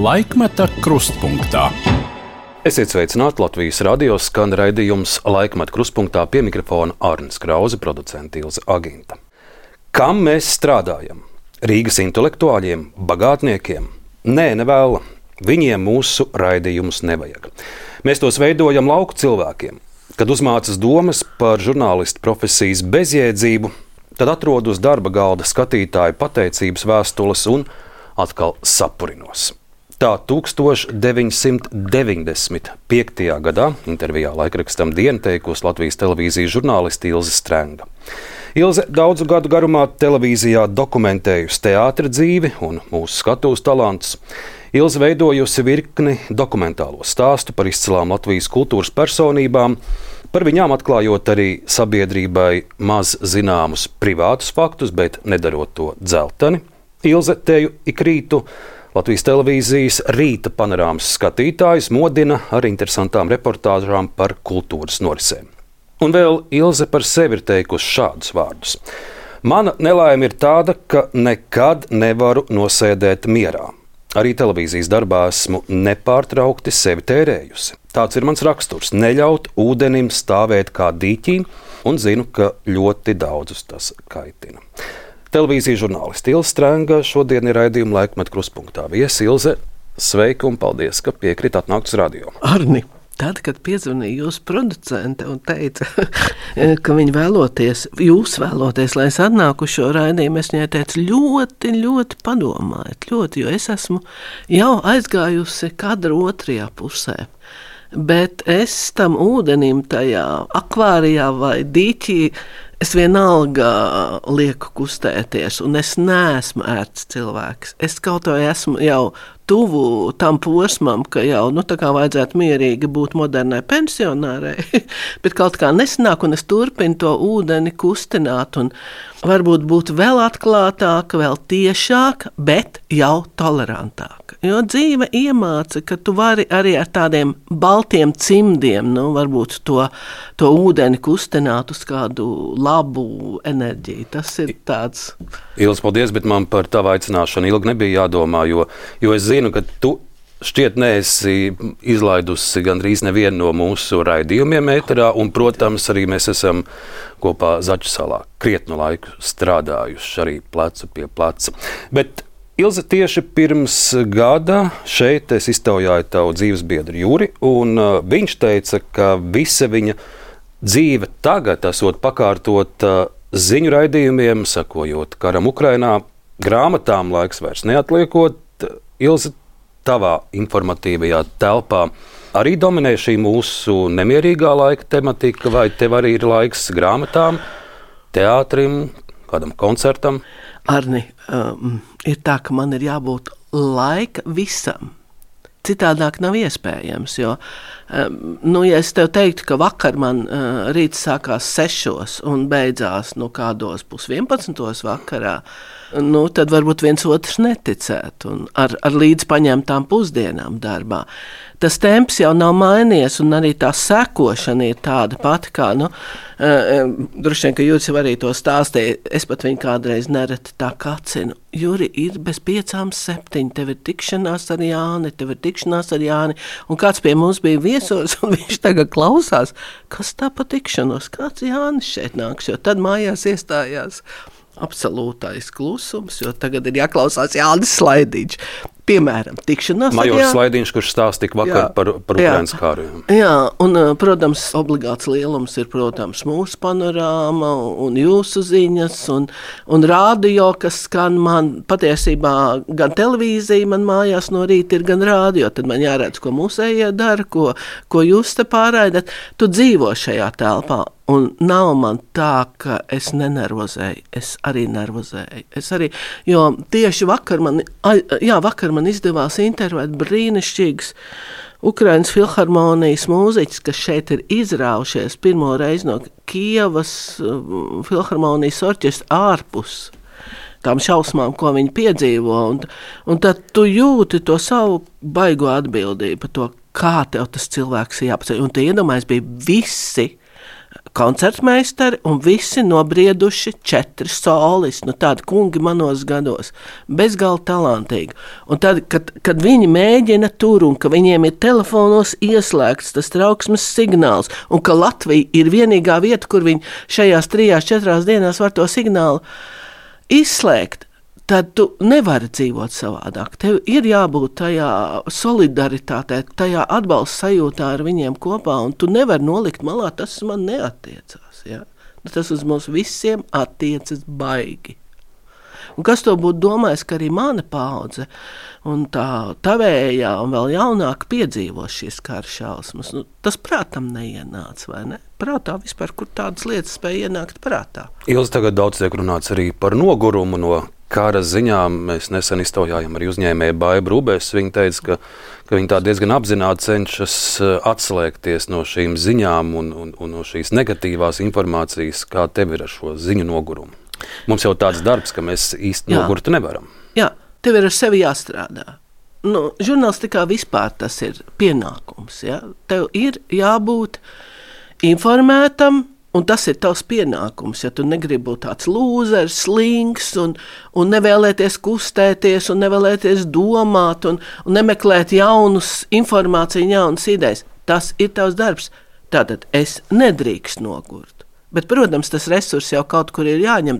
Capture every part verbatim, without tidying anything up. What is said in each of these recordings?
Laikmeta krustpunktā. Esiet sveicināti, Latvijas radio skan raidījums Laikmeta krustpunktā, pie mikrofona Arnis Krause, producente Ilze Aginta. Kam mēs strādājam? Rīgas intelektuāļiem, bagātniekiem? Nē, nevēla. Viņiem mūsu raidījumus nevajag. Mēs tos veidojam lauku cilvēkiem. Kad uzmācas domas par žurnālistu profesijas bezjēdzību, tad atrod uz darba galda skatītāju pateicības vēstules un atkal sapurinos. Tā tūkstoš deviņsimt deviņdesmit piektajā gadā intervijā laikrakstam Diena teikusi Latvijas televīzijas žurnāliste Ilze Strenga. Ilze daudzu gadu garumā televīzijā dokumentējusi teātra dzīvi un mūsu skatuves talantus. Ilze veidojusi virkni dokumentālo stāstu par izcilām Latvijas kultūras personībām, par viņām atklājot arī sabiedrībai maz zināmus privātus faktus, bet nedarot to dzelteni. Ilze teju ik rītu Latvijas televīzijas rīta panorāmas skatītājus modina ar interesantām reportāžām par kultūras norisēm. Un vēl Ilze par sevi ir teikusi šādus vārdus. Mana nelaime ir tāda, ka nekad nevaru nosēdēt mierā. Arī televīzijas darbā esmu nepārtraukti sevi tērējusi. Tāds ir mans raksturs - neļaut ūdenim stāvēt kā dīķī, un zinu, ka ļoti daudzus tas kaitina. Televīzijas žurnāliste Ilze Strenga šodien ir raidījuma Laikmeta krustpunktā viesi. Ilze, sveika un paldies, ka piekrīt atnākt uz radio. Arni, tad, kad piezvanīja jūsu producente un teica, ka viņi vēloties, jūs vēloties, lai es atnāku uz šo raidījumu, es viņai teicu, ļoti, ļoti padomājiet, ļoti, jo es esmu jau aizgājusi kadra otrajā pusē. Bet es tam ūdenim tajā akvārijā vai dīķī, es vienalga lieku kustēties, un es neesmu ērts cilvēks. Es kaut vai esmu jau tuvu tam posmam, ka jau nu, tā kā vajadzētu mierīgi būt modernai pensionārai, bet kaut kā nesanāk, un es turpinu to ūdeni kustināt, un varbūt būt vēl atklātāka, vēl tiešāka, bet jau tolerantāka. Jo dzīve iemāca, ka tu vari arī ar tādiem baltiem cimdiem, nu, varbūt to, to ūdeni kustināt uz kādu labu enerģiju. Tas ir tāds... Ilze, paldies, bet man par tavu aicināšanu ilgi nebija jādomā, jo, jo es zinu, ka tu šķiet neesi izlaidusi gandrīz nevienu no mūsu raidījumiem ēterā, un, protams, arī mēs esam kopā Zaķu salā krietnu laiku strādājuši arī plecu pie pleca. Bet Ilze, tieši pirms gada šeit es iztaujāju tavu dzīves biedru Juri, un uh, viņš teica, ka visa viņa dzīve tagad esot pakārtota ziņu raidījumiem, sakojot karam Ukrainā, grāmatām laiks vairs neatliekot. Ilze, tavā informatīvajā telpā arī dominē šī mūsu nemierīgā laika tematika, vai tev arī ir laiks grāmatām, teātrim, kādam koncertam? Arni, um, ir tā, ka man ir jābūt laika visam. Citādāk nav iespējams, jo, um, nu, ja es tev teiktu, ka vakar man uh, rīts sākās sešos un beidzās, nu, kādos pus vienpadsmitos vakarā, nu, tad varbūt viens otrs neticētu un ar, ar līdz paņemtām pusdienām darbā. Tas temps jau nav mainījies, un arī tā sekošana ir tāda pati, kā, nu, uh, droši vien, ka Juris jau arī to stāstīja, es pat viņu kādreiz nereti tā kacinu. Juri, ir bez piecām septiņi, tev ir tikšanās ar Jāni, tev ir tikšanās ar Jāni, un kāds pie mums bija viesos, un viņš tagad klausās, kas tā pa tikšanos, kāds Jānis šeit nāks, jo tad mājās iestājās absolūtais klusums, jo tagad ir jāklausās Jānis Slaidīņš. Piemēram, tikšanās ar Majors Slaidīņš, kurš stāstīja vakar jā, par, par Ukrainas kāru. Jā, un, protams, obligāts lielums ir, protams, mūsu panorāma un jūsu ziņas un, un rādio, kas skan man patiesībā gan televīzija man mājās no rīta ir, gan rādio, tad man jāredz, ko mūsējie dara, ko, ko jūs te pārraidat. Tu dzīvo šajā telpā. Un nav man tā, ka es nenervozēju, es arī nervozēju. Es arī, jo tieši vakar man, jā, vakar man izdevās intervēt brīnišķīgs Ukrainas filharmonijas mūziķis, kas šeit ir izraušies pirmo reizi no Kijevas filharmonijas orķestra ārpus tām šausmām, ko viņi piedzīvo. Un, un tad tu jūti to savu baigo atbildību par to, kā tev tas cilvēks ir jāpaceļ. Un tie iedomājas bija visi koncertmeistari un visi nobrieduši četri solis, nu tādi kungi manos gados, bezgalīgi talantīgi. Un tad, kad, kad viņi mēģina tur un ka viņiem ir telefonos ieslēgts tas trauksmes signāls un ka Latvija ir vienīgā vieta, kur viņi šajās trijās, četrās dienās var to signālu izslēgt, tad tu nevari dzīvot savādāk. Tev ir jābūt tajā solidaritātē, tajā atbalsta sajūtā ar viņiem kopā, un tu nevari nolikt malā, tas man neattiecās. Ja? Tas uz mums visiem attiecas baigi. Un kas to būtu domājis, ka arī mana paudze un tā tavējā un vēl jaunāk piedzīvo šīs kara šausmas. Nu, tas prātam neienāca, vai ne? Prātā vispār, kur tādas lietas spēja ienākt prātā. Ilzi tagad daudz tiek runāts arī par nogurumu no kara ziņām. Mēs nesen iztaujājām arī uzņēmēju Baibu Rūbēs. Viņa teica, ka, ka viņa tā diezgan apzināti cenšas atslēgties no šīm ziņām un, un, un no šīs negatīvās informācijas, kā tev ir ar šo ziņu nogurumu. Mums jau tāds darbs, ka mēs īsti Jā. nogurtu nevaram. Jā, tev ir ar sevi jāstrādā. Nu, žurnālistikā vispār tas ir pienākums. Ja? Tev ir jābūt informētam, un tas ir tavs pienākums. Ja tu negribi būt tāds lūzers, slinks un, un nevēlēties kustēties un nevēlēties domāt un, un nemeklēt jaunus informāciju, jaunas idejas. Tas ir tavs darbs. Tātad es nedrīkst nogurt. Bet, protams, tas resurs jau kaut kur ir jāņem,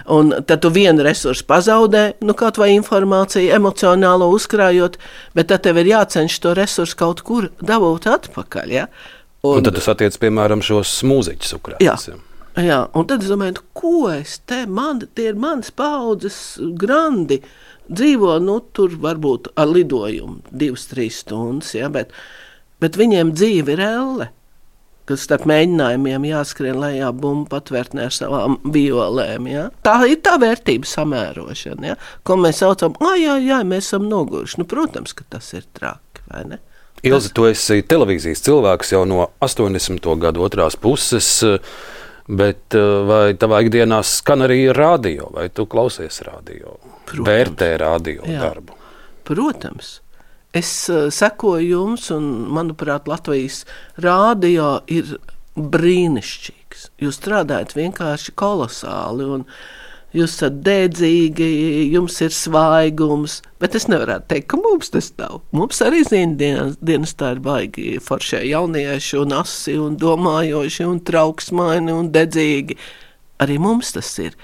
un tad tu vienu resursu pazaudē, nu kaut vai informāciju emocionālo uzkrājot, bet tad tev ir jācenš to resursu kaut kur dabūt atpakaļ, ja? Un, un tad tas attiec, piemēram, šos mūziķus ukrājas. Jā, jā, un tad es domāju, ko es te, man, tie ir manas paudzes grandi, dzīvo, nu, tur varbūt ar lidojumu divas, trīs stundas, ja, bet, bet viņiem dzīve ir elle. Kas starp mēģinājumiem jāskrien lejā bumbu patvērtnē ar savām violēm. Ja? Tā ir tā vērtība samērošana, ja? Ko mēs saucam, ah, jā, jā, mēs esam noguruši. Nu, protams, ka tas ir traki, vai ne? Ilze, tu esi televīzijas cilvēks jau no astoņdesmito gadu otrās puses, bet vai tavā ikdienā skan arī radio, vai tu klausies radio? Protams. Vērtē radio jā. darbu? Protams. Es uh, sekoju jums, un, manuprāt, Latvijas rādio ir brīnišķīgs. Jūs strādājat vienkārši kolosāli, un jūs esat dēdzīgi, jums ir svaigums, bet es nevarētu teikt, ka mums tas nav. Mums arī zina dienas, dienas tā ir baigi foršie jaunieši, un asi, un domājoši, un trauksmaini, un dedzīgi. Arī mums tas ir.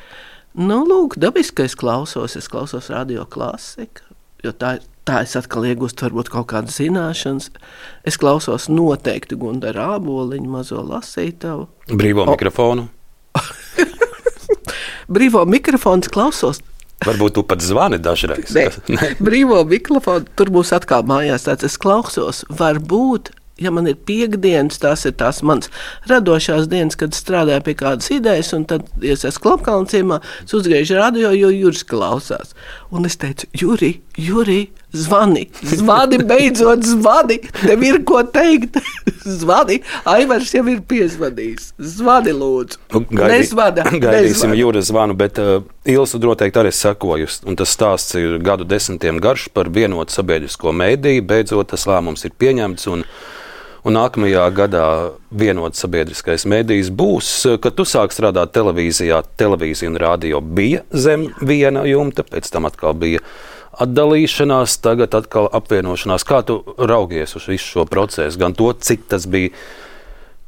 Nu, lūk, dabiski es klausos, es klausos radio klasiku, jo tā ir. Tā es atkal iegūstu varbūt kaut kādas zināšanas. Es klausos noteikti Gundara Āboliņu mazo lasītavu. Brīvo o. mikrofonu. Brīvo mikrofonu klausos. Varbūt tu pat zvani dažreiz. Ne. Brīvo mikrofonu, tur būs atkal mājās tāds. Es klausos, varbūt, ja man ir piekdienas, tās ir tās mans radošās dienas, kad strādāju pie kādas idejas, un tad, ja es esmu Klapkalna ciemā, es uzgriežu radio, jo Juris klausās. Un es teicu, Juri, Juri, zvani, zvani, beidzot zvani, tev ir ko teikt, zvani, Aivars jau ir piezvanījis, zvani lūdzu, Gaidī, nezvana, gaidīsim nezvana. Juras zvanu, bet uh, Ilse noteikti arī sekojusi, un tas stāsts ir gadu desmitiem garš par vienotu sabiedrisko mēdīju, beidzot tas lēmums ir pieņemts, un Un nākamajā gadā vienots sabiedriskais mēdījis būs, kad tu sāk strādāt televīzijā. Televīzija un radio bija zem viena jumta, pēc tam atkal bija atdalīšanās, tagad atkal apvienošanās. Kā tu raugies uz visu šo procesu? Gan to, cik tas bija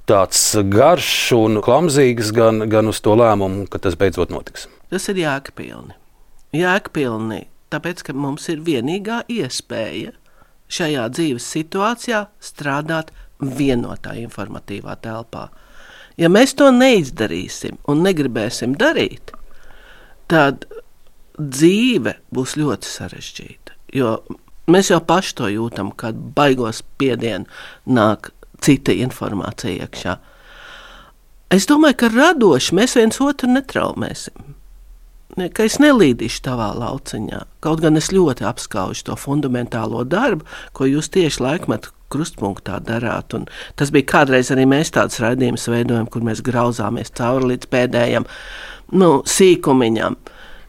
tāds garš un klamzīgs, gan, gan uz to lēmumu, ka tas beidzot notiks. Tas ir jēgpilni. Jēgpilni, tāpēc, ka mums ir vienīgā iespēja šajā dzīves situācijā strādāt vienotā informatīvā telpā. Ja mēs to neizdarīsim un negribēsim darīt, tad dzīve būs ļoti sarežģīta. Jo mēs jau paši to jūtam, kad baigos spiedienu nāk cita informācija iekšā. Es domāju, ka radoši mēs viens otru netraumēsim. Ka es nelīdīšu tavā lauciņā. Kaut gan es ļoti apskaužu to fundamentālo darbu, ko jūs tieši laikmetu krustpunktā darāt. Un tas bija kādreiz arī mēs tāds raidījums veidojam, kur mēs grauzāmies cauri līdz pēdējam nu, sīkumiņam.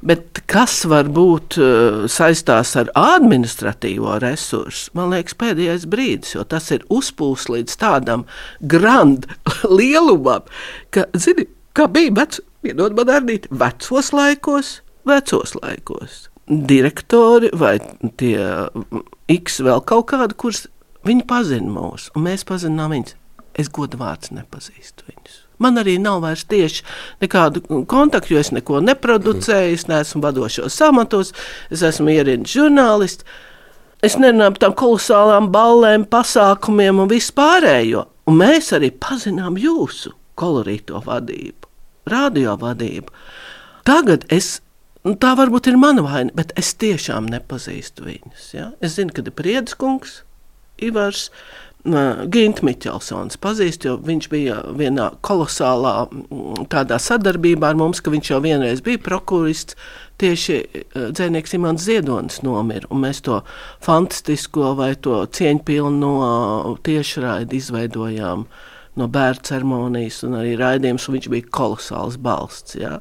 Bet kas var būt uh, saistās ar administratīvo resursu, man liekas, pēdējais brīdis, jo tas ir uzpūs līdz tādam grand lielumam, ka, zini, kā bija vec, piedod man Arnīt, vecos laikos, vecos laikos. Direktori vai tie X vēl kaut kādi, kurus viņi pazina mūs, un mēs pazinām viņus. Es godu vārds nepazīstu viņus. Man arī nav vairs tieši nekādu kontaktu, jo es neko neproducēju, es neesmu vadošos amatos, es esmu ierindis žurnālists. Es nerunāju par tām kolosālām ballēm, pasākumiem un vispārējo. Un mēs arī pazinām jūsu kolorīto vadību, radio vadību. Tagad es tā varbūt ir mana vaina, bet es tiešām nepazīstu viņus. Ja? Es zinu, ka ir Priedes kungs, Ivars, Ginta Miķelsons pazīst, jo viņš bija vienā kolosālā tādā sadarbībā ar mums, ka viņš jau vienreiz bija prokurists, tieši dzejnieks Imants Ziedonis nomira, un mēs to fantastisko vai to cieņpilno tiešraidi izveidojām no bērnu ceremonijas un arī raidījums, un viņš bija kolosāls balsts, jā.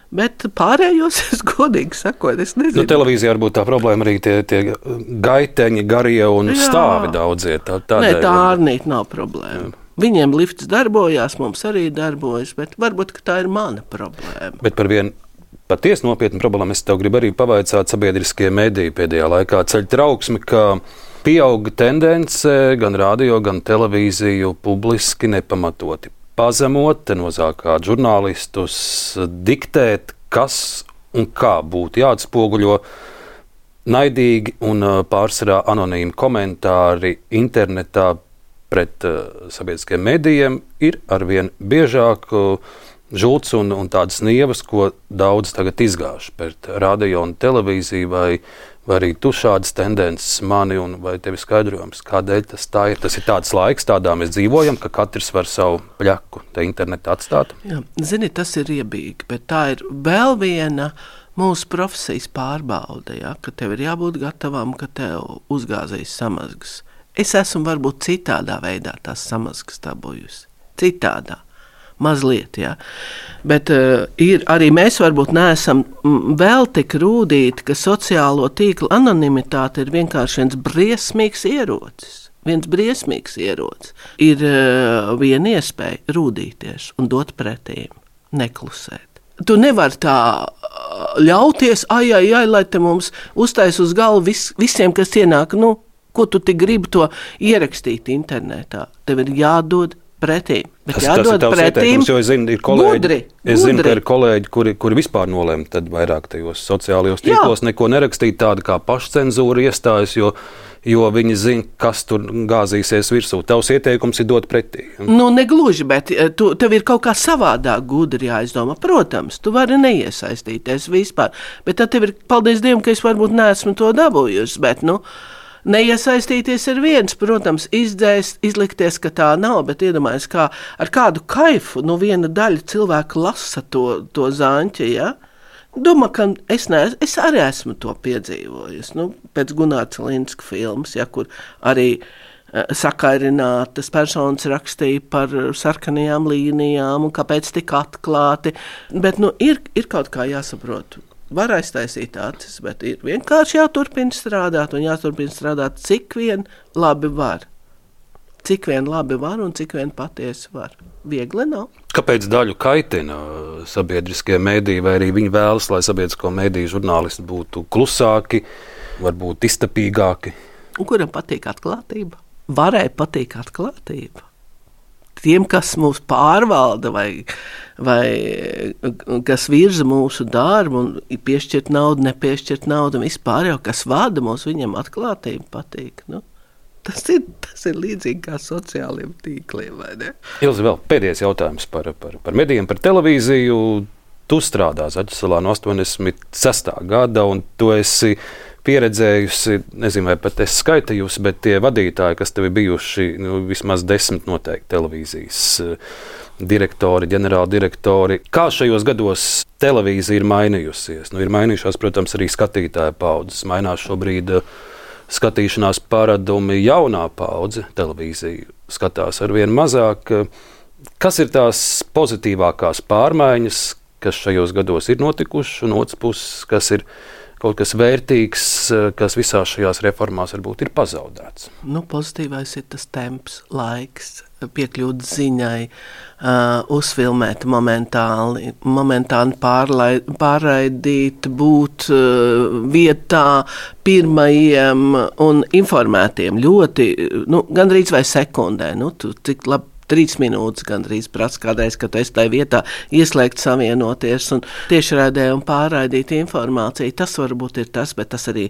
Bet pārējos, es godīgi sakot, es nezinu. Nu, televīzijā varbūt tā problēma arī tie, tie gaiteņi, garie un Jā. stāvi daudzie. Tā, Nē, tā Arnīt nav problēma. Jā. Viņiem lifts darbojās, mums arī darbojas, bet varbūt, ka tā ir mana problēma. Bet par vienu patiesi nopietnu problēmu es tev gribu arī pavaicāt sabiedriskie mediji pēdējā laikā ceļ trauksmi, ka pieauga tendence gan radio, gan televīziju publiski nepamatoti pazemot, te nozākāt žurnālistus, diktēt, kas un kā būtu jāatspoguļo. Naidīgi un pārsvarā anonīmi komentāri internetā pret uh, sabiedriskiem medijiem ir arvien biežāk uh, žults un, un tādas nievas, ko daudz tagad izgāž pret radio un televīziju, vai, vai arī tu šādas tendences mani un vai tevi skaidrojums, kādēļ tas tā ir. Tas ir tāds laiks, tādā mēs dzīvojam, ka katrs var savu pļaku te internetā atstāt. Jā, zini, tas ir riebīgi, bet tā ir vēl viena mūsu profesijas pārbaude, ja, ka tev ir jābūt gatavam, ka tev uzgāzīs samazgas. Es esmu varbūt citādā veidā tās samazgas dabūjusi. Citādā. Mazliet, jā. Bet uh, ir, arī mēs varbūt neesam vēl tik rūdīti, ka sociālo tīklu anonimitāte ir vienkārši viens briesmīgs ierocis. Viens briesmīgs ierocis. Ir uh, viena iespēja rūdīties un dot pretīm, neklusēt. Tu nevari tā ļauties, ai, ai, ai, lai te mums uztais uz galvu vis, visiem, kas ienāk, nu, ko tu tik gribi to ierakstīt internetā. Tev ir jādod pretīm. Tas, tas ir tavs ieteikums, jo es zinu, ir kolēģi, gudri, es zinu, gudri. ka ir kolēģi, kuri, kuri vispār nolēma tad vairāk tajos sociālajos tīklos neko nerakstīt, tāda kā pašcenzūra iestājas, jo, jo viņi zina, kas tur gāzīsies virsū. Tavs ieteikums ir dot pretī. Nu, negluži, bet tu, tev ir kaut kā savādāk gudri jāizdomā. Protams, tu vari neiesaistīties vispār, bet tad tev ir, paldies Dievam, ka es varbūt neesmu to dabūjusi, bet, nu, neiesaistīties ir viens, protams, izdzēst, izlikties, ka tā nav, bet iedomājies, kā ar kādu kaifu no viena daļa cilvēku lasa to, to zaņķi, ja? Domā, ka es, ne, es arī esmu to piedzīvojis, nu, pēc Gunāra Cilinska filmas, ja, kur arī uh, sakairinātas personas rakstīja par sarkanajām līnijām un kāpēc tik atklāti, bet, nu, ir, ir kaut kā jāsaprot. Var aiztaisīt acis, bet ir vienkārši jāturpina strādāt un jāturpina strādāt, cik vien labi var. Cik vien labi var un cik vien patiesi var. Viegli nav. Kāpēc daļu kaitina sabiedriskie mediji, vai arī viņi vēlas, lai sabiedrisko mediju žurnālisti būtu klusāki, varbūt iztapīgāki? Un kuram patīk atklātība? Varēja patīk atklātība. Tiem, kas mūs pārvalda vai, vai kas virza mūsu darbu un piešķirt naudu, nepiešķirt naudu, un vispār jau, kas vada mūs, viņiem atklātība patīk. Nu, tas, ir, tas ir līdzīgi kā sociāliem tīkliem, vai ne? Ilzi, vēl pēdējais jautājums par, par, par medijiem, par televīziju. Tu strādā Zaķisalā no astoņdesmit sestā gada, un tu esi pieredzējusi, nezinu, vai pat esi skaitījusi, bet tie vadītāji, kas tev ir bijuši, nu, vismaz desmit noteikti televīzijas direktori, ģenerāldirektori. Kā šajos gados televīzija ir mainījusies? Nu, ir mainījušās, protams, arī skatītāja paudzes. Mainās šobrīd skatīšanās paradumi, jaunā paudze televīziju skatās arvien mazāk. Kas ir tās pozitīvākās pārmaiņas, kas šajos gados ir notikuši, un otrs puses, kas ir kaut kas vērtīgs, kas visās šajās reformās varbūt ir pazaudēts. Nu, pozitīvais ir tas temps, laiks, piekļūt ziņai, uh, uzfilmēt momentāli, momentāli pārlaid, pārraidīt, būt uh, vietā pirmajiem un informētiem ļoti, nu, gandrīz vai sekundē, nu, tu tik labi, trīs minūtes gandrīz prasa kādreiz, kad es tajā vietā ieslēgt savienoties un tiešraidē un pārraidīt informāciju. Tas varbūt ir tas, bet tas arī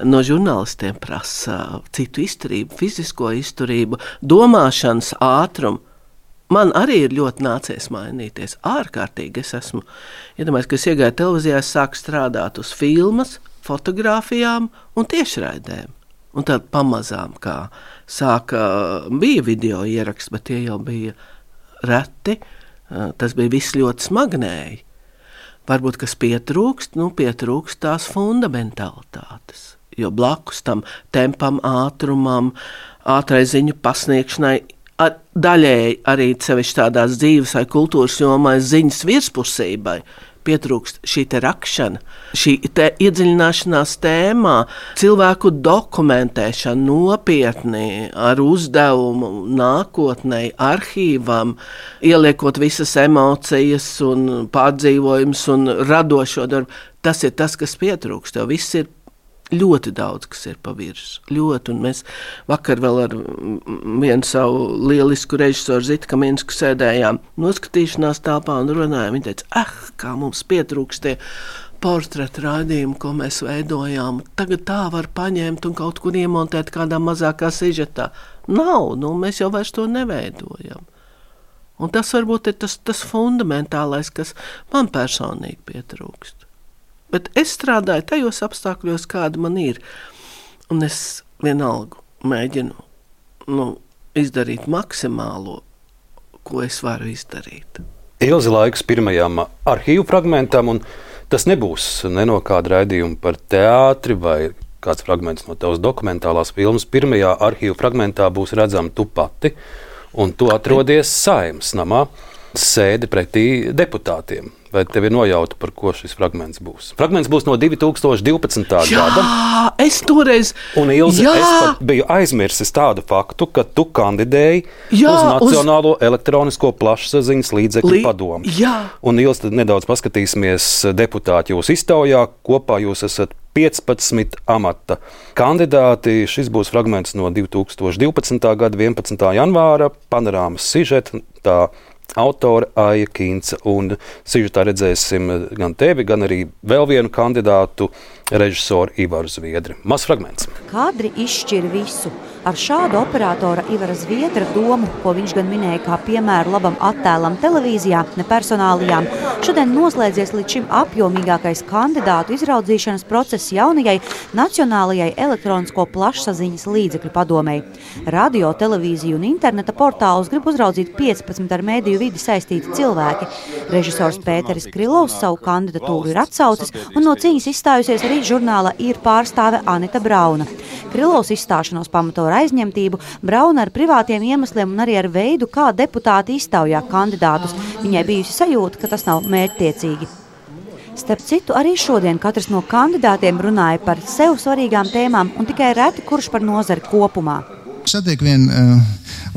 no žurnālistiem prasa citu izturību, fizisko izturību, domāšanas ātrumu. Man arī ir ļoti nācies mainīties. Ārkārtīgi es esmu. Iedomājos, ka es iegāju televīzijā, es sāku strādāt uz filmas, fotogrāfijām un tiešraidēm. Un tad pamazām, kā sāka, bija video ieraksts, bet tie jau bija reti. Tas bija viss ļoti smagnēji. Varbūt, kas pietrūkst, nu pietrūkst tās fundamentālitātes. Jo blakus tam tempam, ātrumam, ātrai ziņu pasniegšanai, ar, daļēji arī sevišķi tādās dzīves vai kultūras jomā ziņas virspusībai, pietrūkst šī te rakšana, šī te iedziļināšanās tēmā, cilvēku dokumentēšana nopietni ar uzdevumu nākotnei, arhīvam, ieliekot visas emocijas un pārdzīvojumus un radošo darbu. Tas ir tas, kas pietrūkst, jo viss ir ļoti daudz, kas ir pa virs. Ļoti, un mēs vakar vēl ar vienu savu lielisku režisoru Zitu Kaminsku sēdējām noskatīšanās telpā un runājām. Viņa teica, eh, kā mums pietrūkst tie portretu raidījumi, ko mēs veidojām. Tagad tā var paņemt un kaut kur iemontēt kādā mazākā sižetā. Nav, nu mēs jau vairs to neveidojam. Un tas varbūt ir tas, tas fundamentālais, kas man personīgi pietrūkst. Bet es strādāju tajos apstākļos, kāda man ir. Un es vienalga mēģinu nu, izdarīt maksimālo, ko es varu izdarīt. Ilzi laiks pirmajām arhīvu fragmentam, un tas nebūs ne no kāda raidījuma par teātri vai kāds fragments no tavas dokumentālās filmas. Pirmajā arhīvu fragmentā būs redzama tu pati, un tu atrodies Saeimas namā, sēdi pretī deputātiem. Vai tev ir nojauta, par ko šis fragments būs? Fragments būs no divi tūkstoši divpadsmitā gada. Jā, es toreiz... Un Ilze, jā. Es pat biju aizmirsis tādu faktu, ka tu kandidēji jā, uz Nacionālo uz... elektronisko plašsaziņas līdzekļu Lī... padomu. Jā. Un Ilze, tad nedaudz paskatīsimies deputāti jūs iztaujā. Kopā jūs esat piecpadsmit amata kandidāti. Šis būs fragments no divi tūkstoši divpadsmitā gada vienpadsmitā janvāra. Panorāmas sižeta, tā autora Aija Kīnce, un sižetā redzēsim gan tevi, gan arī vēl vienu kandidātu, režisoru Ivaru Zviedri. Mazs fragments. Kadri izšķir visu. Ar šādu operatora Ivara Zviedra domu, ko viņš gan minēja kā piemēru labam attēlam televīzijā, ne personālijām, šodien noslēdzies līdz šim apjomīgākais kandidātu izraudzīšanas process jaunajai Nacionālajai elektronisko plašsaziņas līdzekļu padomei. Radio, televīziju un interneta portālus grib uzraudzīt piecpadsmit ar mēdīju vidi saistīti cilvēki. Režisors Pēteris Krilovs savu kandidatūru ir atsaucis, un no cīņas izstājusies arī žurnāla Ir pārstāve Anita Brauna. Krilovs izstāšanos pamato ar aizņemtību, Brauna ar privātiem iemesliem un arī ar veidu, kā deputāti iztaujā kandidātus. Viņai bijusi sajūta, ka tas nav mērķtiecīgi. Starp citu, arī šodien katrs no kandidātiem runāja par sev svarīgām tēmām un tikai reti kurš par nozari kopumā. Satiek vienu uh,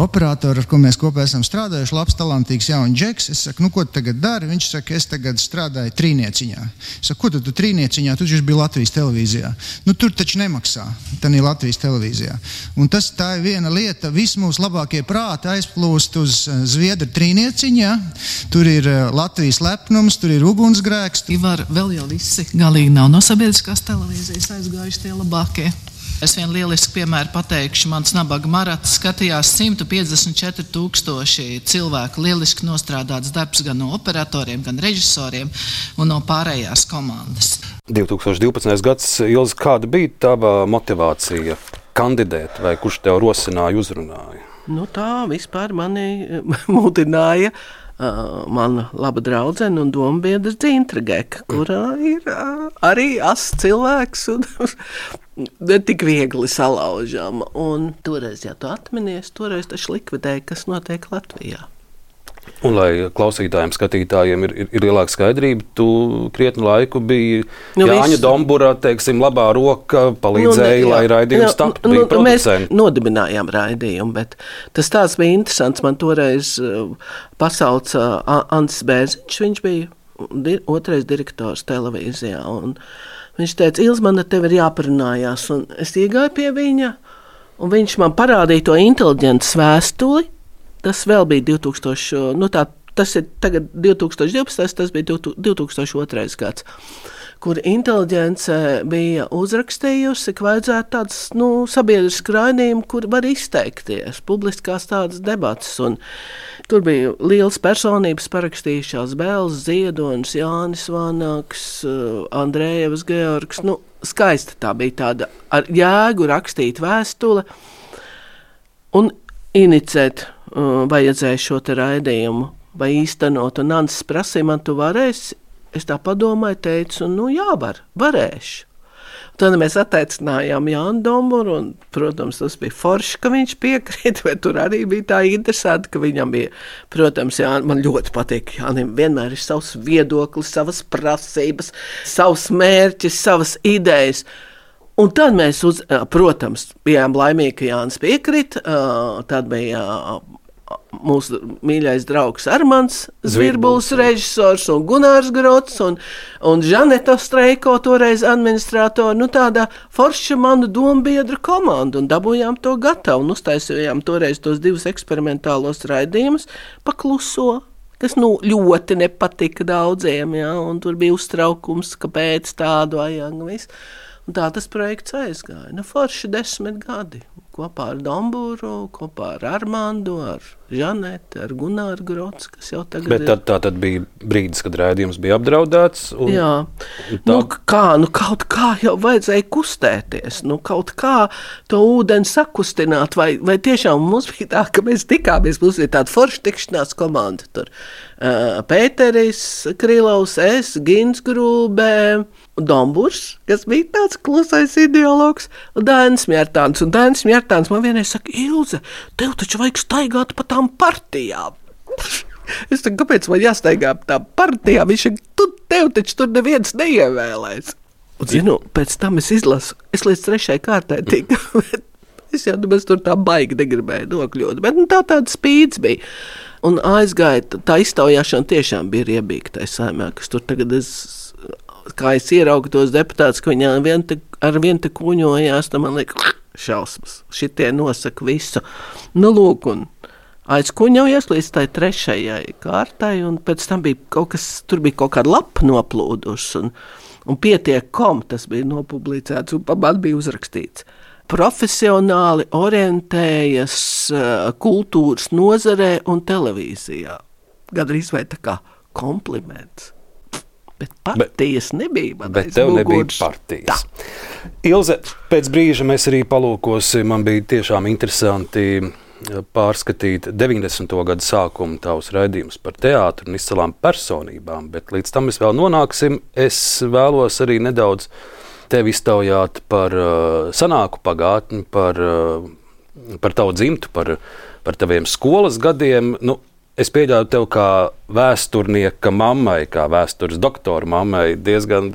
operatoru, ar ko mēs kopā esam strādājuši, labs, talantīgs jauns džeks. Es saku, nu, ko tu tagad dari? Viņš saka, es tagad strādāju trīnieciņā. Es saku, ko tu, tu trīnieciņā? Tu taču biji Latvijas televīzijā. Nu, tur taču nemaksā. Tā ir Latvijas televīzijā. Un tas tā ir viena lieta. Visi mūsu labākie prāti aizplūst uz Zviedru trīnieciņā. Tur ir uh, Latvijas lepnums, tur ir ugunsgrēks. Ivar, vēl jau visi galīgi nav no sabiedriskās televīzijas aizgājuši tie labākie. Es vienu lielisku piemēru pateikšu. Mans nabaga marats skatījās simt piecdesmit četri tūkstoši cilvēku. Lieliski nostrādāts darbs gan no operatoriem, gan režisoriem un no pārējās komandas. divi tūkstoši divpadsmitais gads, Ilze, kāda bija tava motivācija kandidēt vai kurš tev rosināja, uzrunāja? Nu tā vispār mani mudināja Uh, mana laba draudzene un dombiedrs Dzintra Geka, kurā ir uh, arī ass cilvēks un ne tik viegli salaužama. Un toreiz, ja tu atminies, toreiz taču likvidēja, kas notiek Latvijā. Un, lai klausītājiem, skatītājiem ir, ir, ir lielāka skaidrība, tu krietnu laiku biji nu, Jāņa visu... Dombura, teiksim, labā roka, palīdzēja, nu, ne, lai raidījums taptu, nu, bija producenti. Mēs nodibinājām raidījumu, bet tas tāds bija interesants. Man toreiz pasauca Antis Bērziņš, viņš bija di- otrais direktors televīzijā, un viņš teica, Ilz, man ar tevi ir jāparunājās, un es iegāju pie viņa, un viņš man parādīja to inteliģentas vēstuli. Tas vēl bija divtūkstoši, nu tā, tas ir tagad divtūkstoš divpadsmitais, tas bija divtūkstoš otrais gads, kur inteliģence bija uzrakstījusi, ka vajadzētu tāds, nu, sabiedrisku raidījumu, kur var izteikties, publiskās tādas debatas, un tur bija liels personības parakstījušās, Bēls Ziedonis, Jānis Vanaks, Andrējevs Georgs, nu, skaista tā bija tāda ar jēgu rakstīt vēstule, un inicēt uh, vajadzēja šo te raidījumu vai īstenot, un Antis prasīja, man tu varēsi, es tā padomāju, teicu, nu jā, var, varēšu. Tad mēs atteicinājām Jānu Domburu, un, protams, tas bija forši, ka viņš piekrīt, bet tur arī bija tā interesanti, ka viņam bija, protams, jā, man ļoti patīk, Jānim vienmēr ir savs viedoklis, savas prasības, savs mērķis, savas idejas. Un tad mēs, uz, protams, bijām laimīgi, ka Jānis piekrita. Tad bija mūsu mīļais draugs Armands Zvirbuls, režisors, un Gunārs Grots, un, un Žaneta Streiko, toreiz administratori. Nu, tāda forša manu dombiedru komanda, un dabūjām to gatavu, un uztaisījām toreiz tos divus eksperimentālos raidījumus pa kluso, kas nu, ļoti nepatika daudziem, ja, un tur bija uztraukums, kāpēc tādu vajag visu. Un tā tas projekts aizgāja. Nu, forši desmit gadi. Kopā ar Domburu, kopā ar Armandu, ar Žanetu, ar Gunāru Grots, kas jau tagad Bet tad, tā tad bija brīdis, kad raidījums bija apdraudēts. Un, jā. Un tā... Nu, kā, nu, kaut kā jau vajadzēja kustēties. Nu, kaut kā to ūdeni sakustināt. Vai, vai tiešām mums bija tā, ka mēs tikāmies, mums bija tāda forša tikšanās komanda. Tur uh, Pēteris Krilovs, es, Gins Grūbē, Domburs, kas bija tāds klusais ideologs, un Dainis Mjērtāns. Un Dainis Mjērtāns man vienreiz saka, Ilze, tev taču vajag staigāt pa tām partijām. Es saku, kāpēc man jāstaigā pa tām partijām? Viņš saka, tu, tev taču tur neviens neievēlēs. Un, zinu, pēc tam es izlasu, es līdz trešai kārtai tiku, bet es jau nemaz tur tā baigi negribēju nokļūt. Bet nu, tā tāda spīdz bija. Un aizgāja, tā iztaujāšana tiešām bija riebīga tai saimē, kas tur tagad es... Kā es ieraugu tos deputātus, ka viņi vien te, ar vien te kuņojās, tad man liek šausmas. Šitie nosaka visu. Nu, lūk, un aizkuņojies līdz tai trešajai kārtai, un pēc tam bija kaut kas, tur bija kaut kāda lapa noplūdus, un, un pietiek kom, tas bija nopublicēts, un pa man bija uzrakstīts. Profesionāli orientējas kultūras nozarē un televīzijā. Gadrīz vai tā kā kompliments. Bet partijas bet, nebija. Bet tev nebija partijas. Tā. Ilze, pēc brīža mēs arī palūkosim, man bija tiešām interesanti pārskatīt deviņdesmito gadu sākumu tavus raidījumus par teātru un izcilām personībām, bet līdz tam mēs vēl nonāksim. Es vēlos arī nedaudz tevi iztaujāt par uh, sanāku pagātni, par, uh, par tavu dzimtu, par, par taviem skolas gadiem. Nu, Es pieļauju tev kā vēsturnieka mammai, kā vēstures doktora mammai, diezgan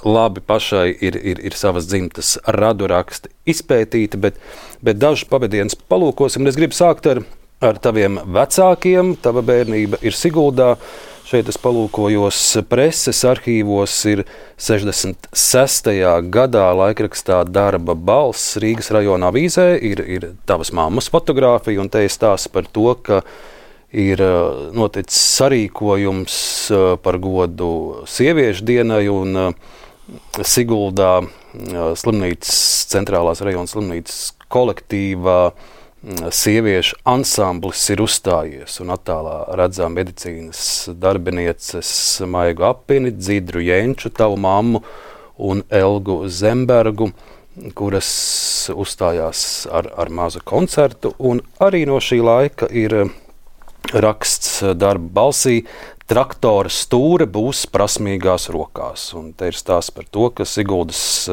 labi pašai ir, ir, ir savas dzimtas raduraksti izpētīti, bet, bet dažus pavadienus palūkosim. Es gribu sākt ar, ar taviem vecākiem. Tava bērnība ir Siguldā. Šeit es palūkojos preses arhīvos, ir sešdesmit sestajā gadā laikrakstā Darba balss Rīgas rajona avīzē, ir, ir tavas mammas fotogrāfija, un te ir stāsts par to, ka ir noticis sarīkojums par godu sieviešu dienai, un Siguldā slimnīcas, centrālās rajona slimnīcas kolektīvā sieviešu ansamblis ir uzstājies, un attālā redzām medicīnas darbinieces Maigu Apini, Dzidru Jenču, tavu mammu, un Elgu Zembergu, kuras uzstājās ar, ar mazu koncertu, un arī no šī laika ir raksts darba balsī. Traktora stūre būs prasmīgās rokās. Un te ir stāsts par to, ka Siguldas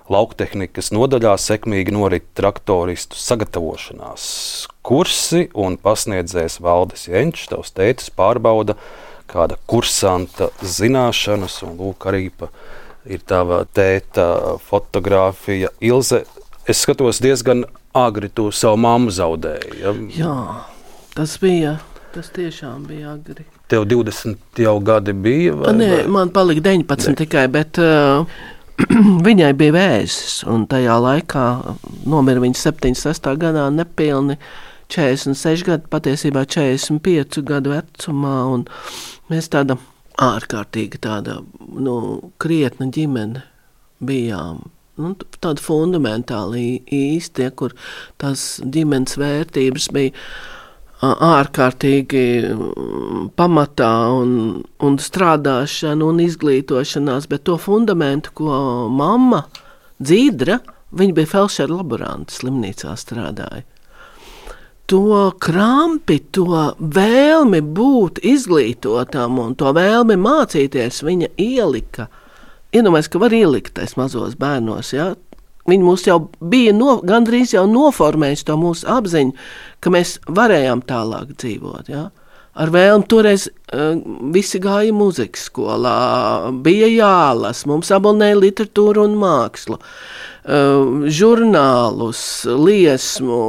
lauktehnikas nodaļā sekmīgi norit traktoristu sagatavošanās kursi, un pasniedzējs Valdis Jenčs, tavs tētis, pārbauda kāda kursanta zināšanas, un lūk arī pa, ir tava tēta fotogrāfija. Ilze, es skatos diezgan agri, tu savu mammu zaudēji. Ja? Jā, tas bija, tas tiešām bija agri. Tev divdesmit jau gadi bija? Vai, Nē, vai? man palika deviņpadsmit ne. tikai, bet uh, viņai bija vēzis, un tajā laikā nomira viņa septiņdesmit sestā gadā nepilni četrdesmit seši gadi, patiesībā četrdesmit pieci gadu vecumā, un mēs tāda ārkārtīgi tāda, nu, krietna ģimene bijām. Nu, tāda fundamentāli īsti, kur tās ģimenes vērtības bija ārkārtīgi pamatā un, un strādāšana un izglītošanās, bet to fundamentu, ko mamma Dzīdra, viņa bija felšera laborante, slimnīcā strādāja. To krampi, to vēlmi būt izglītotam un to vēlmi mācīties viņa ielika. Iedomājies, ka var ielikt tais mazos bērnos, ja? Viņi mūs jau bija no, gandrīz jau noformējuši to mūsu apziņu, ka mēs varējām tālāk dzīvot. Ja? Ar vēlmu toreiz uh, visi gāja mūzikas skolā, bija jālas, mums abonēja literatūru un mākslu, uh, žurnālus, liesmu,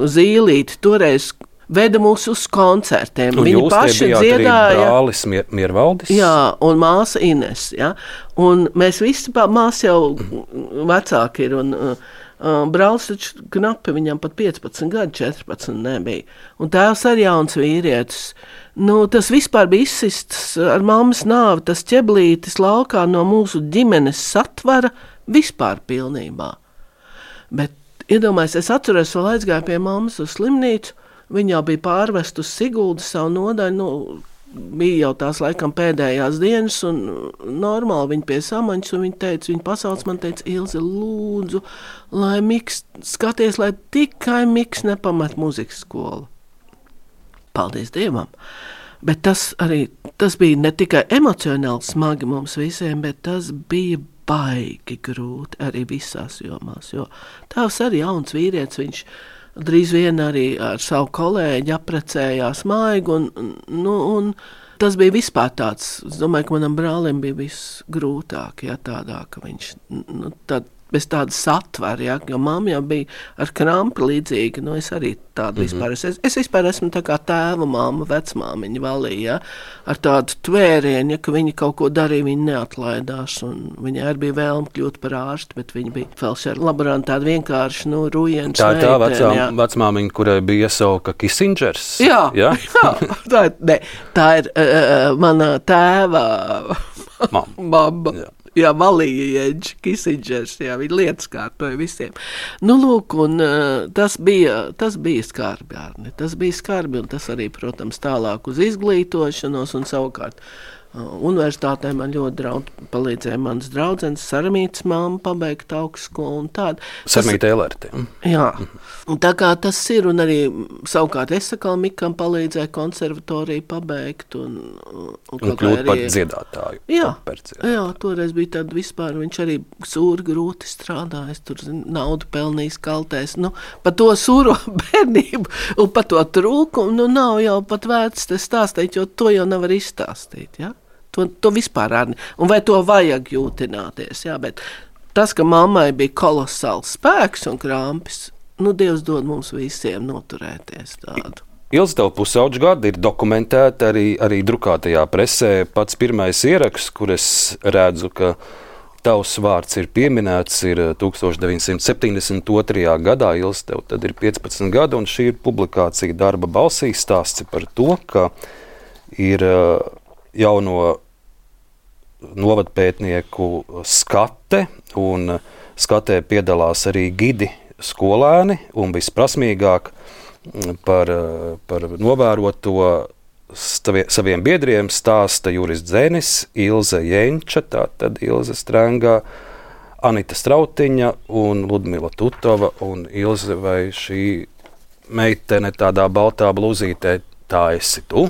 zīlīti, toreiz veda mūs uz koncertiem. Un viņi jūs paši te dziedāja. Arī brālis Mier, Miervaldis? Jā, un māsa Ines. Ja? Un mēs visi, māsa jau vecāki ir, un uh, brālis taču knapi, viņam pat piecpadsmit gadi, četrpadsmit nebija. Un tēvs arī jauns vīrietis. Nu, tas vispār bija izsists ar mammas nāvi, tas ķeblītis laukā no mūsu ģimenes satvara vispār pilnībā. Bet, iedomājies, es atceros, vēl aizgāju pie mammas uz slimnīcu. Viņa jau bija pārvest uz Siguldu savu nodaļu, nu, bija jau tās laikam pēdējās dienas, un normāli viņa pie samaņas, un viņa teica, viņa pasauc man teica, Ilze, lūdzu, lai Miks, skaties, lai tikai Miks nepamet muzikas skolu. Paldies Dievam! Bet tas arī, tas bija ne tikai emocionāli smagi mums visiem, bet tas bija baigi grūti arī visās jomās, jo tēvs arī jauns vīrietis, viņš drīz vien arī ar savu kolēģi aprecējās maigi, un, nu, un tas bija vispār tāds, es domāju, ka manam brālim bija viss grūtāk, ja tādā, ka viņš, nu, tad, bez tāda satvara, ja, jo mamma jau bija ar krampi līdzīga, nu, es arī tādu mm-hmm. vispār, es, es vispār esmu tā kā tēva mamma, vecmāmiņa valīja, ja, ar tādu tvērienu, ja, ka viņa kaut ko darīja, viņa neatlaidās, un viņa arī bija vēlme kļūt par ārstu, bet viņa bija felšera laborante, tāda vienkārši, nu, rujens Tā ir tā meitene, vecā, vecmāmiņa, kurai bija iesauka Kissingers. Jā, ja? jā tā, ir, ne, tā ir uh, mana tēva mamma. Jā. Jā, Valija Jenčs, Kissingers, jā, viņa lietas kārtoja visiem. Nu, lūk, un uh, tas bija, tas bija skarbi, Arni, tas bija skarbi, un tas arī, protams, tālāk uz izglītošanos, un savukārt uh, universitātē man ļoti draudz, palīdzēja manas draudzenes, Saramītas mamma pabeigt augstskolu un tādu. Saramīta Elerte. Jā, un tā kā tas ir, un arī savukārt es sakal Mikam palīdzēja konservatoriju pabeigt, un, un, un kļūt arī, par dziedātāju. Jā, par dziedātāju. jā, toreiz bija tad vispār, viņš arī sūri grūti strādājis, tur naudu pelnījis kaltēs, nu, par to sūro bērnību un par to trūkumu, nu, nav jau pat vērts te stāstīt, jo to jau nevar izstāstīt, ja? To, to vispār arī, un vai to vajag jūtināties, jā, bet tas, ka mammai bija kolosāls spēks un krampis, nu, Dievs dod mums visiem noturēties tādu. Ilze, tev pusauģu gadi ir dokumentēti arī, arī drukātajā presē. Pats pirmais ieraksts, kur es redzu, ka tavs vārds ir pieminēts, ir deviņdesmit septiņdesmit otrajā gadā. Ilze, tev tad ir piecpadsmit gadi, un šī ir publikācija darba balsī, stāsts par to, ka ir jauno novadpētnieku skate, un skatē piedalās arī gidi skolēni, un visprasmīgāk par, par novēroto saviem biedriem stāsta Juris Dzenis, Ilze Jenča, tātad Ilze Strengā, Anita Strautiņa un Ludmila Tutova. Un Ilze, vai šī meitene tādā baltā blūzītē tā esi tu.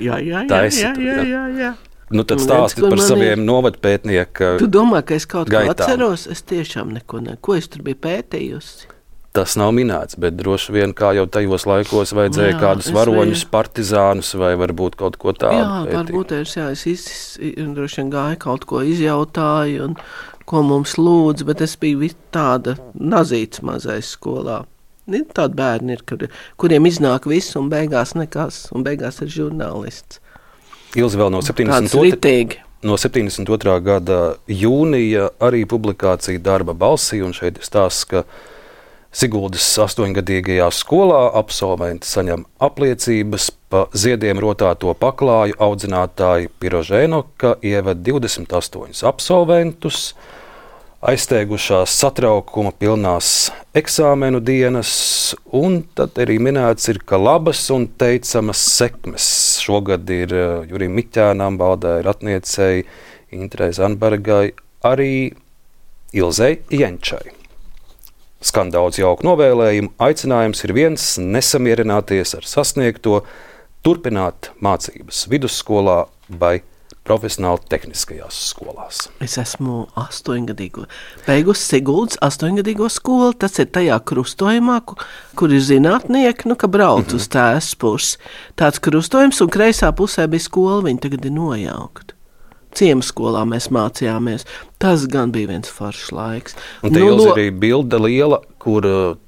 jā, jā, Tā jā, esi jā, tu, jā, jā. jā, jā. Nu, tad Un stāsti redz, kur par man saviem ir- novadpētnieku Tu domā, ka es kaut ko gaitām. atceros? Es tiešām neko ne. Ko es tur biju pētījusi? Tas nav minēts, bet droši vien kā jau tajos laikos vajadzēja Jā, kādus es varoņus, biju- partizānus vai varbūt kaut ko tādu. Jā, pētīt. varbūt es, jā, es iz, droši vien gāju kaut ko izjautāju, un ko mums lūdz, bet es biju vi- tāda nazīts mazais skolā. Ir tādi bērni, ir, kur, kuriem iznāk viss un beigās nekas, un beigās ir žurnālists. Ilzi vēl no Tāds septiņdesmit otrā ritīgi. no septiņdesmit otrā gada jūnija arī publikācija Darba balsī, un šeit ir stāsts, ka Siguldas astoņgadīgajā skolā absolventi saņem apliecības pa ziediem rotāto paklāju audzinātāji Pirožēno, ka ieved divdesmit astoņus absolventus, aizsteigušās satraukuma pilnās eksāmenu dienas, un tad arī minēts ir, ka labas un teicamas sekmes šogad ir Jurim Miķēnam, Valdai Ratniecei, Intrei Zanbergai, arī Ilzei Jenčai. Skan daudz jauku novēlējumu, aicinājums ir viens - nesamierināties ar sasniegto, turpināt mācības vidusskolā vai profesionāli tehniskajās skolās. Es esmu astoņgadīgo. Beigusi Siguldas astoņgadīgo skolu. Tas ir tajā krustojumā, kur, kur ir zinātnieki, nu, ka brauc mm-hmm. uz tēs pusi. Tāds krustojums, un kreisā pusē bija skola, viņi tagad ir nojaukti. Ciemskolā mēs mācījāmies. Tas gan bija viens foršs laiks. Un te Nu, jau lo- ir arī bilde liela, kur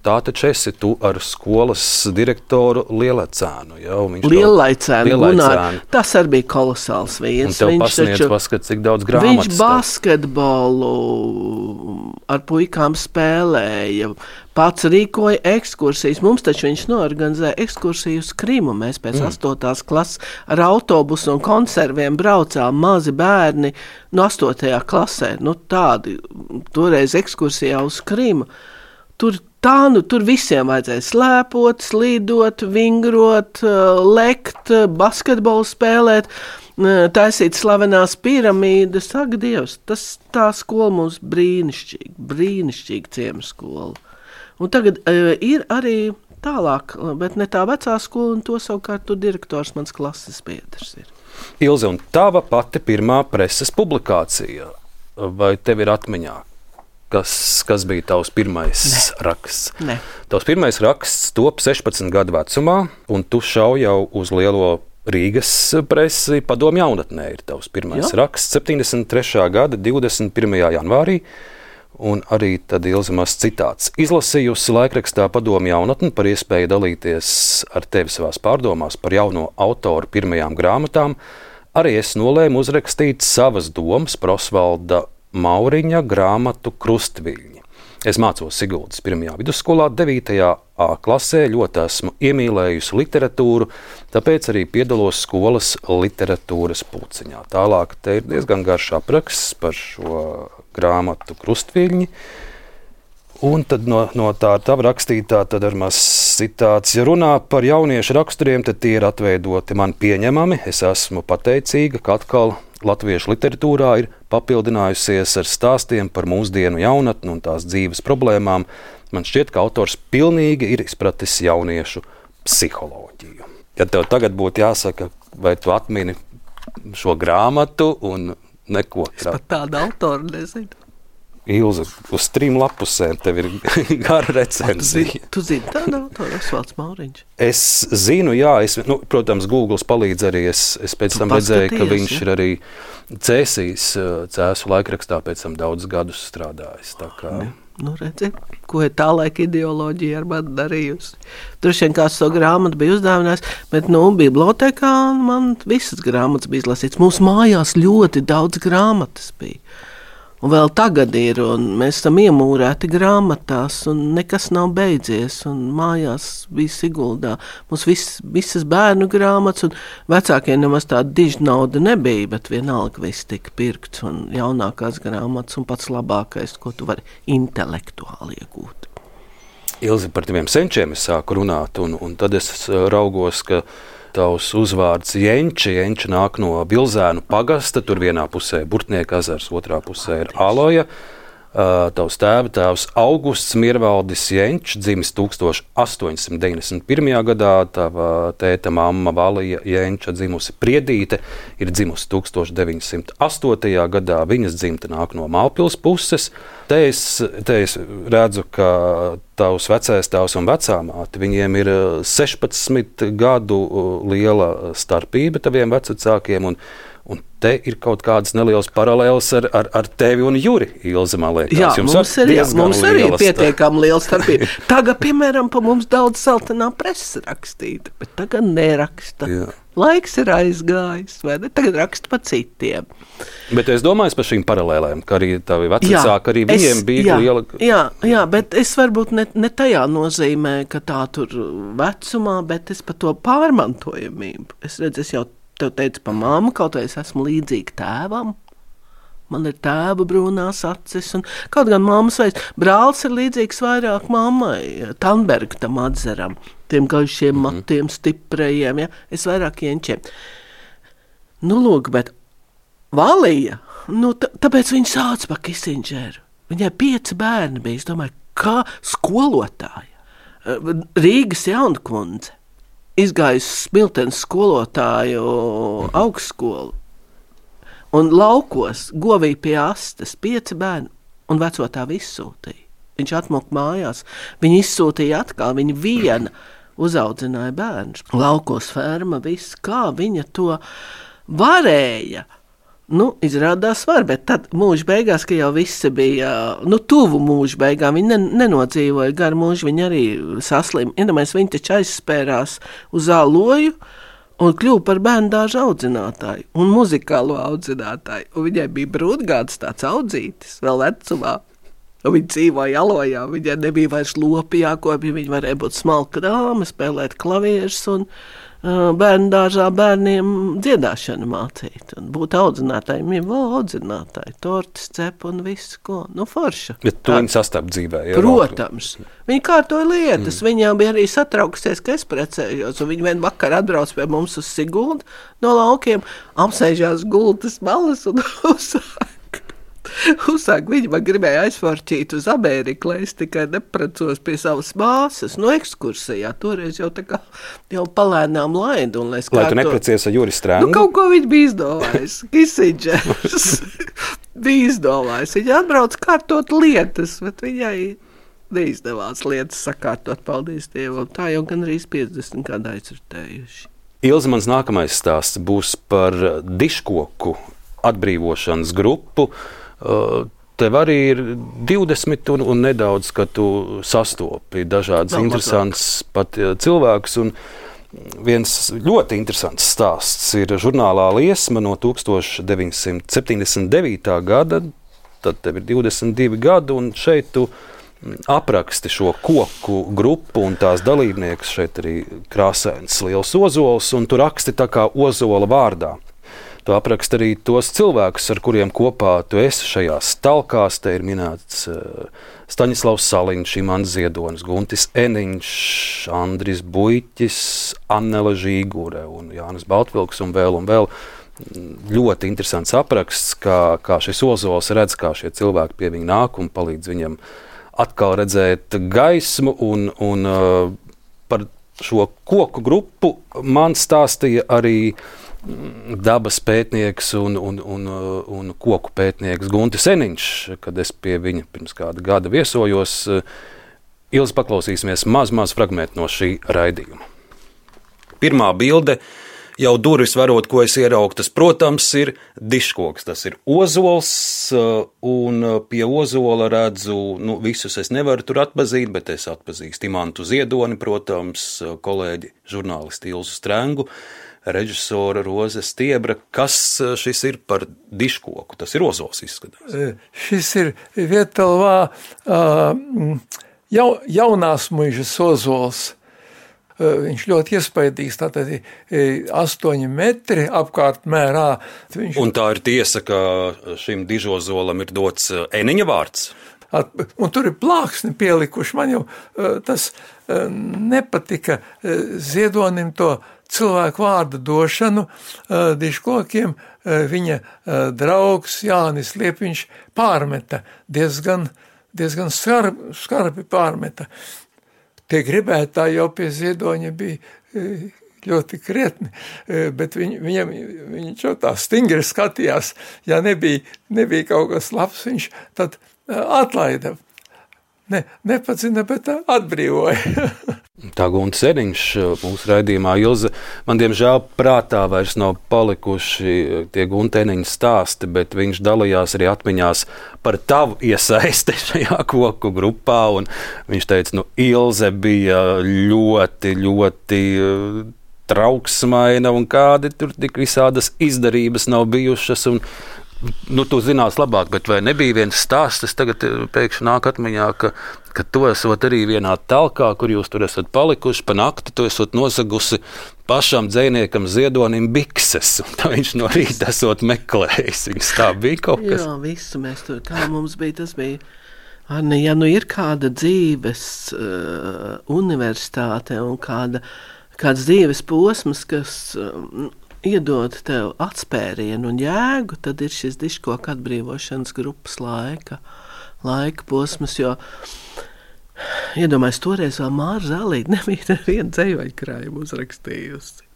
tā taču esi tu ar skolas direktoru Lielecēnu. Ja, un viņš to- Lielaicēnu, Gunār. Lielaicēnu. Tas arī bija kolosāls Un vīrs. tev Viņš pasniedz, taču- paskat, cik daudz Viņš grāmatas. basketbolu ar puikām spēlēja, pats rīkoja ekskursijas. Mums taču viņš norganizēja ekskursiju uz Krimu. Mēs pēc mm. astotās klases ar autobusu un konserviem braucām, mazi bērni no astotajā klasē. Nu, tādi toreiz ekskursijā uz Krimu. Tur tā, nu, tur visiem vajadzēja slēpot, slīdot, vingrot, lekt, basketbolu spēlēt, taisīt slavenās piramīdas. Ak, Dievs, tas tā skola mums brīnišķīgi, brīnišķīgi ciemskola. Un tagad uh, ir arī tālāk, bet ne tā vecā skola, un to savukārt tu direktors mans klases biedrs ir. Ilze, un tava pati pirmā preses publikācija, vai tev ir atmiņā? Kas, kas bija tavs pirmais Ne. raksts? Ne. Tavs pirmais raksts top sešpadsmit gadu vecumā, un tu šauj jau uz lielo Rīgas presi. Padomu jaunatnē ir tavs pirmais Jā. raksts septiņdesmit trešā gada divdesmit pirmajā janvārī. Un arī tad Ilze mazs citāts. Izlasījusi laikrakstā Padomu jaunatni par iespēju dalīties ar tevi savās pārdomās par jauno autoru pirmajām grāmatām, arī es nolēmu uzrakstīt savas domas par Osvalda Mauriņa grāmatu Krustviļņi. Es mācos Siguldas pirmajā vidusskolā, devītajā A klasē, ļoti esmu iemīlējusi literatūru, tāpēc arī piedalos skolas literatūras pulciņā. Tālāk te ir diezgan garš apraksts par šo grāmatu Krustviļņi. Un tad no, no tā tava rakstītā tad ar maz citāts. Ja runā par jauniešu raksturiem, tad tie ir atveidoti man pieņemami. Es esmu pateicīga, ka atkal latviešu literatūrā ir papildinājusies ar stāstiem par mūsdienu jaunatni un tās dzīves problēmām. Man šķiet, ka autors pilnīgi ir izpratis jauniešu psiholoģiju. Ja tev tagad būtu jāsaka, vai tu atmini šo grāmatu un neko Es pat tādu autoru nezinu. Ilze, uz trim lapusēm tev ir gara recenzija. Tu zini tādu autoru, Osvalds Mauriņš? Es zinu, jā, es, nu, protams, Google palīdz arī. Es, es pēc Tu tam redzēju, ka paskaties, viņš ja? ir arī Cēsīs Cēsu laikrakstā pēc tam daudzus gadus strādājis. Tā kā Nu, redzi, ko ir tā laika ideoloģija ar mani darījusi. Droši vien kāds to grāmatu bija uzdāvinājis, bet, nu, bibliotekā man visas grāmatas bija izlasīts. Mūsu mājās ļoti daudz grāmatas bija. Un vēl tagad ir, un mēs esam iemūrēti grāmatās, un nekas nav beidzies, un mājās bija Siguldā. Mums vis, visas bērnu grāmatas, un vecākiem nemaz tāda diža nauda nebija, bet vienalga viss tika pirkts, un jaunākās grāmatas, un pats labākais, ko tu vari intelektuāli iegūt. Ilzi, par tiem senčiem es sāku runāt, un, un tad es raugos, ka tavs uzvārds Jenči, Jenči nāk no Bilzēnu pagasta, tur vienā pusē Burtnieka ezers, otrā pusē ir Aloja. Tavs tēva tēvs Augusts Mirvaldis Jenčs, dzimis tūkstoš astoņsimt deviņdesmit pirmajā gadā, tava tēta mamma Valija Jenča, dzimusi Priedīte, ir dzimusi tūkstoš deviņsimt astotajā gadā, viņas dzimta nāk no Mālpils puses. Te es, te es redzu, ka tavs vecais tēvs un vecāmāte, viņiem ir sešpadsmit gadu liela starpība taviem vecākiem, un Un te ir kaut kādas nelielas paralēlas ar, ar, ar tevi un Juri, Ilze, man liekas. Jā, Jums mums, ir, jā, mums arī ir pietiekami liela starpība. Tagad, piemēram, pa mums daudz saltenā presa rakstīta, bet tagad neraksta. Jā. Laiks ir aizgājis, vai ne? Tagad raksta pa citiem. Bet es domāju par šīm paralēlēm, ka arī tavi vecāki, arī viņiem es, bija jā, liela... Jā, jā, bet es varbūt ne, ne tajā nozīmē, ka tā tur vecumā, bet es par to pārmantojamību. Es redzu, es jau tev teicu par mammu, kaut vai es esmu līdzīga tēvam. Man ir tēva brūnās acis, un kaut gan mammas veids. Brālis ir līdzīgs vairāk mammai, Tanberga tam atzeram, tiem gaišiem mm-hmm. matiem, stiprējiem, ja? Es vairāk Jenčiem. Nu, lūk, bet Valija, nu, t- tāpēc viņa sauc par Kisindžeru. Viņai pieci bērni bija, es domāju, kā skolotāja. Rīgas Jaunkundze. Izgājusi Smiltenes skolotāju augstskolu un laukos govīja pie astes pieci bērni un veco tā izsūtīja. Viņš atmok mājās, viņa izsūtīja atkal, viņa viena uzaudzināja bērnus. Laukos ferma, viss, kā viņa to varēja. Nu, izrādās var, bet tad mūža beigās, ka jau visi bija, nu, tuvu mūža beigām, viņi nenodzīvoja garu mūžu, viņi arī saslim. Iedomājies, viņi taču aizspērās uz āloju un kļuva par bērndāžu audzinātāju un muzikālo audzinātāju. Un viņai bija brūtgāds tāds audzītis vēl vecumā. Un viņi dzīvoja alojā, viņai nebija vairs lopi jākopja, viņi varēja būt smalka dāma, spēlēt klavierus un bērnu dārzā bērniem dziedāšanu mācīt un būt audzinātājiem, jau vēl audzinātāji, tortis, cep un visu, ko, nu forša. Bet tu viņi sastāp dzīvē, jā? Protams. Viņi kārtoja lietas, mm. viņām bija arī satraukusies, ka es precējos, un viņi vien vakar atbrauc pie mums uz Siguldu no laukiem, apsēžās gultas malas un uzsāk. Uzsāk, viņi man gribēja aizforķīt uz Ameriku, lai es tikai neprecos pie savas māsas, no ekskursijā, toreiz jau tā kā jau palēnām laidu. Un, lai lai tu neprecies ar Juri Strēngu? Nu, kaut ko viņi bija izdomājis, Kisindžers bija izdomājis, viņi atbrauc kārtot lietas, bet viņai neizdevās lietas sakārtot, paldies Dievam, tā jau gan arī piecdesmit gadu aizritējuši. Ilze, mans nākamais stāsts būs par diškoku atbrīvošanas grupu. Tev arī ir divdesmit un, un nedaudz, ka tu sastopi dažādas Vēl interesantas pat cilvēkus. Un viens ļoti interesants stāsts ir žurnālā Liesma no tūkstoš deviņsimt septiņdesmit devītā gada. Tad tev ir divdesmit divi gadi, un šeit tu apraksti šo koku grupu un tās dalībniekus. Šeit arī krāsains liels ozols, un tu raksti tā kā ozola vārdā. Tu apraksti arī tos cilvēkus, ar kuriem kopā tu esi šajās talkās. Te ir minēts uh, Staņislavs Saliņš, Imants Ziedonis, Guntis Eniņš, Andris Buiķis, Annela Žīgure un Jānis Baltvilks un vēl un vēl. Ļoti interesants apraksts, kā, kā šis ozols redz, kā šie cilvēki pie viņa nāk un palīdz viņam atkal redzēt gaismu. Un, un uh, par šo koku grupu man stāstīja arī dabas pētnieks un, un, un, un koku pētnieks Guntis Eniņš, kad es pie viņa pirms kāda gada viesojos. Ilzi, paklausīsimies maz, maz fragmentu no šī raidījuma. Pirmā bilde, jau durvis varot, ko es ieraugu, tas, protams, ir diškoks. Tas ir ozols, un pie ozola redzu, nu, visus es nevaru tur atpazīt, bet es atpazīstu Imantu Ziedoni, protams, kolēģi žurnālisti Ilzu Strengu, režisora Roze Stiebra. Kas šis ir par diškoku? Tas ir ozols, izskatās. Šis ir Vietalvā jau, jaunās muižas ozols. Viņš ļoti iespaidīgs, tātad astoņi metri apkārt mērā. Viņš... Un tā ir tiesa, ka šim dižozolam ir dots Eniņa vārds? Un tur ir plāksni pielikuši. Man jau tas nepatika Ziedonim to cilvēku vārdu došanu uh, diškokiem uh, viņa uh, draugs Jānis Liepiņš pārmeta, diezgan, diezgan skarbi, skarbi pārmeta. Tie gribētāji jau pie Ziedoņa bija uh, ļoti krietni, uh, bet viņ, viņam, viņš jau tā stingri skatījās, ja nebija, nebija kaut kas labs, viņš tad uh, atlaida. Ne, nepacina, bet atbrīvoja. Tā Gunta Sēdiņš mūsu raidījumā, Ilze, man diemžēl prātā vairs nav palikuši tie Gunta Sēdiņa stāsti, bet viņš dalījās arī atmiņās par tavu iesaisti šajā koku grupā, un viņš teica, nu, Ilze bija ļoti, ļoti trauksmaina, un kādi tur tik visādas izdarības nav bijušas, un nu, tu zinās labāk, bet vai nebija viens stāsts, es tagad pēkšņi nāk atmiņā, ka, ka tu esot arī vienā talkā, kur jūs tur esat palikuši pa nakti, tu esot nozagusi pašam dzejniekam Ziedonim bikses, un tā viņš no rīta esot meklējis. Viņas tā bija kaut kas? Jā, visu mēs tur, kā mums bija, tas bija, Arne, ja nu ir kāda dzīves uh, universitāte un kāda, kāds dzīves posms, kas uh, iedod tev atspērienu un jēgu, tad ir šis diškoku atbrīvošanas grupas laika, laika posms, jo iedomājies, toreiz vēl Māra Zālīte nebija nevienu dzejvaļkrājumu uzrakstījusi.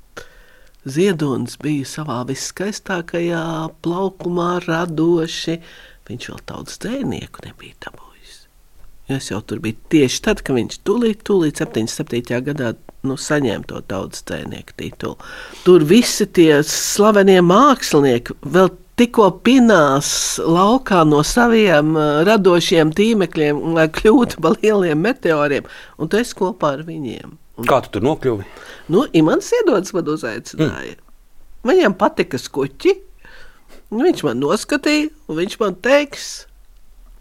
Ziedonis bija savā viskaistākajā plaukumā radoši, viņš vēl tautas dzejnieku nebija dabūjis. Es jau tur biju tieši tad, kad viņš tūlīt, tūlīt septiņdesmit septītajā gadā nu, saņēma to tautas dzejnieku titulu. Tur visi tie slavenie mākslinieki vēl tikko pinās laukā no saviem uh, radošiem tīmekļiem, lai kļūtu pa lieliem meteoriem, un tu esi kopā ar viņiem. Un, kā tu tur nokļuvi? Nu, Imants Ziedonis man uzaicināja. Mm. Viņam patika skuķi, viņš man noskatīja, un viņš man teiks,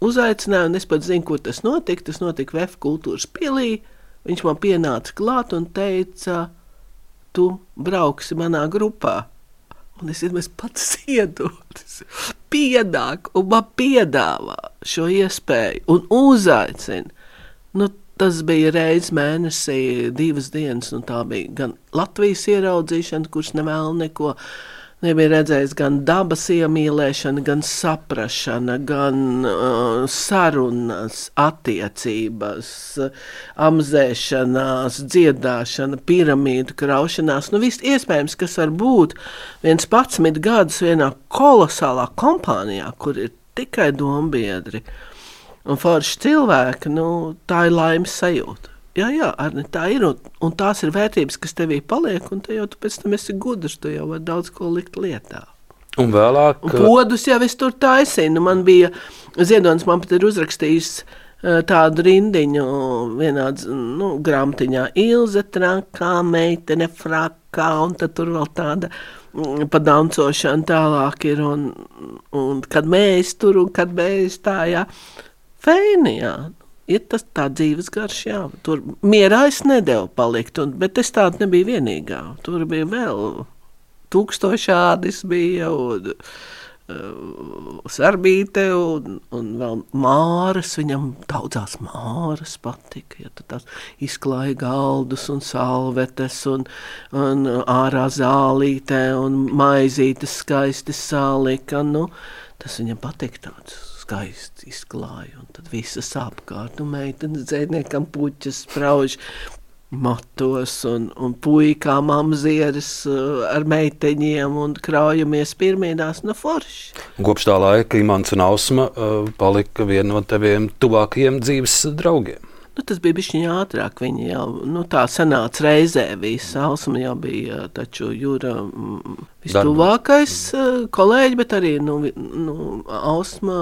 uzaicināja, un es pat zinu, kur tas notika. Tas notika V F kultūras pilī. Viņš man pienāca klāt un teica, tu brauksi manā grupā. Un es, es pats Ziedonis piedāk un man piedāvā šo iespēju un uzaicina. Nu, tas bija reiz mēnesī, divas dienas, un tā bija gan Latvijas ieraudzīšana, kurš nevēl neko, nebija redzējis gan dabas iemīlēšana, gan saprašana, gan uh, sarunas, attiecības, amzēšanās, dziedāšana, piramīdu kraušanās. Nu, viss iespējams, kas var būt vienpadsmit gadus vienā kolosālā kompānijā, kur ir tikai dombiedri un forši cilvēki, nu, tā ir laimes sajūta. Jā, jā, Arni, tā ir, un, un tās ir vērtības, kas tevī paliek, un te jau tu pēc tam esi gudrs, tu jau var daudz ko likt lietā. Un vēlāk... Un podus jau es tur taisīju, nu man bija, Ziedonis man pat ir uzrakstījis uh, tādu rindiņu vienā, nu, grāmatiņā, Ilze trakā, meitene frakā, un tad tur vēl tāda mm, pa dancošana tālāk ir, un, un kad mēs tur, un kad mēs tā, jā, feini, jā. Ir tas tā dzīves garš, jā. Tur mierā es nedevu palikt, un, bet es tāda nebija vienīgā. Tur bija vēl tūkstošādis bija, un uh, Sarbīte, un, un vēl Māras, viņam daudzās Māras patika, ja tu tās izklāja galdus un salvetes, un, un ārā Zālīte, un maizītes skaisti salika, nu, tas viņam patika tāds skaisti izklāja, un tad visas apkārt, un meitenes dzēniekam puķas sprauž matos, un, un puikām amzieres uh, ar meiteņiem, un kraujamies pirmīdās no forši. Kopš tā laika Imants un Ausma uh, palika viena no teviem tuvākajiem dzīves draugiem. Nu, tas bija bišķiņ ātrāk, viņi jau, nu, tā sanāca reizē visa. Ausma jau bija taču Jura mm, vistuvākais uh, kolēģi, bet arī, nu, nu Ausma,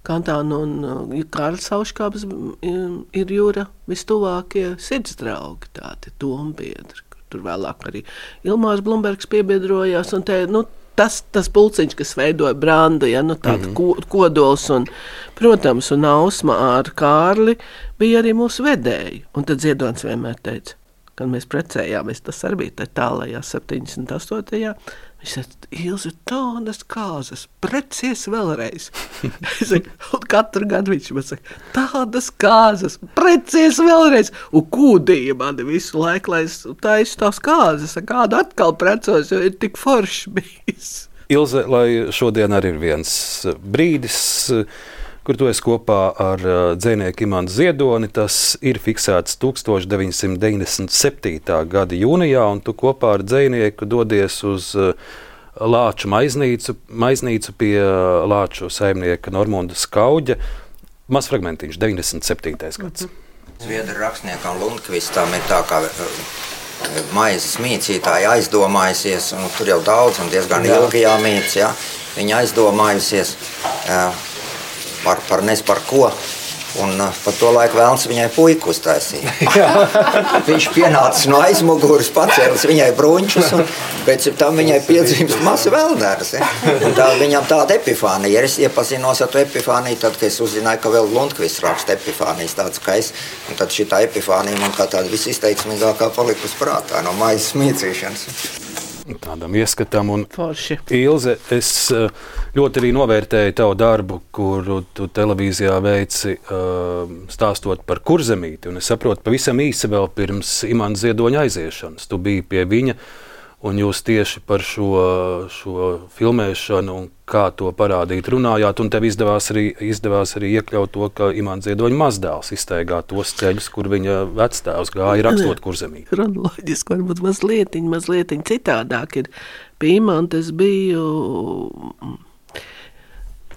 Kantāna un uh, Kārlis Auškāps ir Jura vistuvākie sirdsdraugi, tādi dombiedri. Tur vēlāk arī Ilmārs Blumbergs piebiedrojās, un te, nu, Tas, tas pulciņš, kas veidoja brandu, ja, nu tāda mm-hmm. kodols, un, protams, un Ausma ar Kārli bija arī mūsu vedēji. Un tad Ziedonis vienmēr teica, kad mēs precējāmies, tas arī bija tālajā septiņdesmit astotajā Viņš teica, Ilze, tādas kāzas, precies vēlreiz. Es saku, un katru gadu viņš man saka, tādas kāzas, precies vēlreiz. Un kūdīja mani visu laiku, lai es taisu tās kāzas, kādu atkal precos, jo ir tik forši bijis. Ilze, lai šodien arī ir viens brīdis, kur tu esi kopā ar dzejnieku Imantu Ziedoni. Tas ir fiksēts tukstovš deviņsimt deviņdesmit septītā gada jūnijā, un tu kopā ar dzejnieku dodies uz Lāču maiznīcu, maiznīcu pie Lāču saimnieka Normunda Skauģa. Maz fragmentiņš, deviņdesmit septītais gads. Zviedru rakstniekam Lundkvistam ir tā kā maizes mīcītāji aizdomājusies, un tur jau daudz un diezgan ilgi jāmīc, ja? Viņa aizdomājusies par, par nes par ko, un par to laiku vēlns viņai puiku uztaisīja. Viņš pienācis no aizmuguras, pacēlis viņai bruņčus, un pēc tam viņai piedzimst masu vēlnēras. Ja? Un tā viņam tāda epifānija. Es iepazinos ar to epifāniju, tad, kad es uzzināju, ka vēl Lundkvists raksta epifānijas tāds, ka es, un tad šitā epifānija man kā tāda visizteiksmīgākā palikusi prātā no maizes mīcīšanas. Tādam ieskatam, un Forši. Ilze, es ļoti arī novērtēju tavu darbu, kuru tu televīzijā veici stāstot par Kurzemīti, un es saprotu, pavisam īsi vēl pirms Imanta Ziedoņa aiziešanas. Tu biji pie viņa, un jūs tieši par šo, šo filmēšanu un kā to parādīt runājāt, un tev izdevās arī, izdevās arī iekļaut to, ka Imanta Ziedoņa mazdēls izstaigā tos ceļus, kur viņa vectēvs gāja rakstot Kurzemīti. Kronoloģiski varbūt mazlietiņ, mazlietiņ citādāk ir. Pie Imanta es biju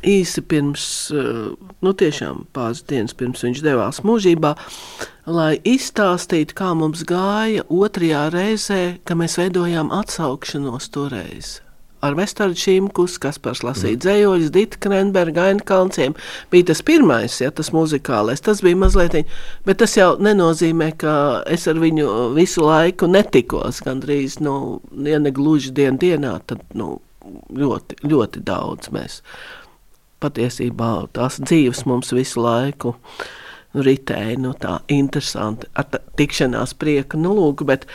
īsi pirms, nu tiešām pāris dienas pirms viņš devās mūžībā, lai izstāstītu, kā mums gāja otrajā reizē, ka mēs veidojām atsaukšanos toreiz. Ar Vestardu Šimkus, Kaspars lasīja dzējoļus, Dita Krenberga, Aina Kalnciem. Bija tas pirmais, ja, tas muzikālais, tas bija mazlietiņ, bet tas jau nenozīmē, ka es ar viņu visu laiku netikos, gandrīz, nu, ja ne gluži dien dienā, tad, nu, ļoti, ļoti daudz mēs. Patiesībā tās dzīves mums visu laiku ritēja, nu tā interesanti, ar tā, tikšanās prieka, nu lūk, bet,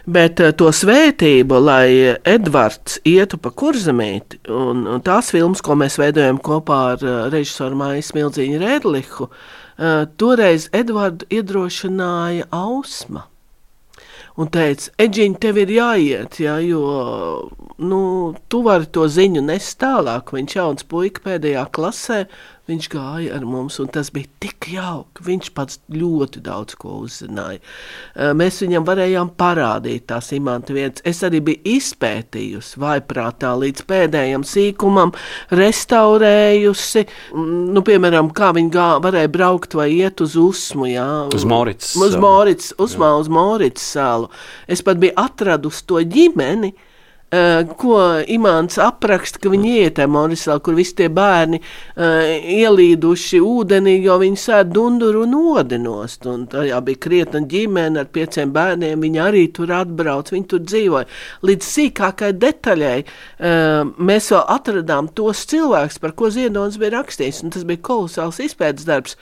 bet to svētību, lai Edvards ietu pa Kurzemīti, un, un tās filmas, ko mēs veidojam kopā ar režisoru Maiju Smildziņu Rēdlihu, toreiz Edvardu iedrošināja Ausma. Un teica, Edžiņ, tev ir jāiet, ja, jo nu, tu vari to ziņu nest tālāk. Viņš jauns puika pēdējā klasē, viņš gāja ar mums, un tas bija tik jauki. Viņš pats ļoti daudz ko uzzināja. Mēs viņam varējām parādīt tās Imanta vietas. Es arī biju izpētījusi vaiprātā līdz pēdējam sīkumam, restaurējusi, nu, piemēram, kā viņi gā, varēja braukt vai iet uz Usmu, jā. Uz Morits. Uz Morits, Usmā uz Morits salu. Es pat biju atradusi to ģimeni, Uh, ko Imants apraksta, ka viņi iet Morisā, kur visi tie bērni uh, ielīduši ūdenī, jo viņi sēd dunduru un odinost. Un tajā bija krietna ģimene ar pieciem bērniem, viņi arī tur atbrauc, viņi tur dzīvoja. Līdz sīkākai detaļai uh, mēs vēl atradām tos cilvēkus, par ko Ziedonis bija rakstījis, un tas bija kolosāls izpētes darbs.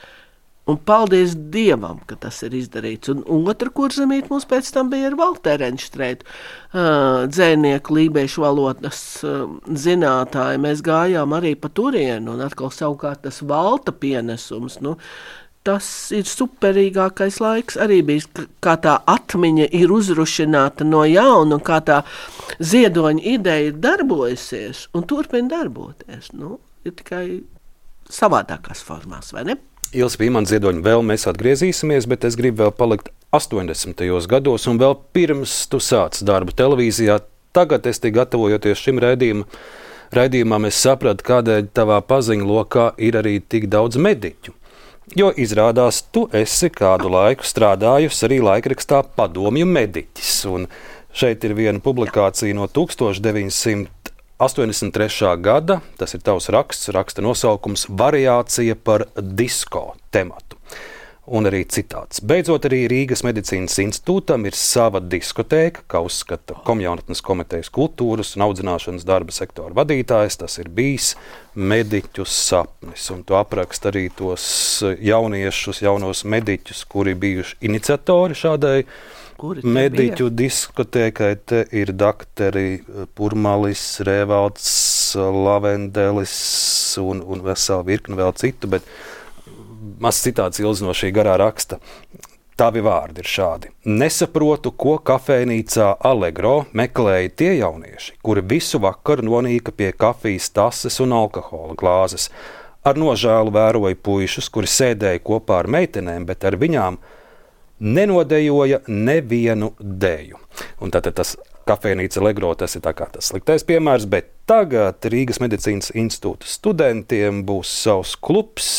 Un paldies Dievam, ka tas ir izdarīts. Un, un otra Kurzemīte mums pēc tam bija ar Valteru Enštreitu, uh, dzejnieku lībiešu valodas uh, zinātāju. Mēs gājām arī pa turienu, un atkal savukārt tas Valta pienesums. Nu, tas ir superīgākais laiks arī bijis, kā tā atmiņa ir uzrušināta no jauna, un kā tā Ziedoņa ideja ir darbojusies un turpina darboties. Nu, ir tikai savādākās formās, vai ne? Ilze, pie Imanta Ziedoņa vēl mēs atgriezīsimies, bet es gribu vēl palikt astoņdesmitajos gados un vēl pirms tu sāc darbu televīzijā. Tagad es tik gatavojoties šim raidījumam, raidījumam es sapratu, kādēļ tavā paziņu lokā ir arī tik daudz mediķu. Jo izrādās, tu esi kādu laiku strādājusi arī laikrakstā Padomju mediķis. Un šeit ir viena publikācija no tukstovš deviņsimt astoņdesmit trešā gada, tas ir tavs raksts, raksta nosaukums Variācija par disko tematu. Un arī citāts. Beidzot arī Rīgas medicīnas institūtam ir sava diskotēka, kā uzskata Komjaunatnes komitejas kultūras un audzināšanas darba sektora vadītājs. Tas ir bijis mediķu sapnis. Un tu aprakst arī tos jauniešus, jaunos mediķus, kuri bijuši iniciatori šādai mediķu diskotēkai. Te ir dakteri Purmalis, Rēvalds, Lavendelis un, un vesela virkni vēl citu, bet maz citāts Ilze no šī garā raksta. Tavi vārdi ir šādi. Nesaprotu, ko kafejnīcā Allegro meklēja tie jaunieši, kuri visu vakaru nonīka pie kafijas tases un alkohola glāzes. Ar nožēlu vēroju puišus, kuri sēdēja kopā ar meitenēm, bet ar viņām nenodejoja nevienu deju. Un tātad tas kafejnīca Allegro, tas ir tā kā tas sliktais piemērs, bet tagad Rīgas medicīnas institūta studentiem būs savs klubs,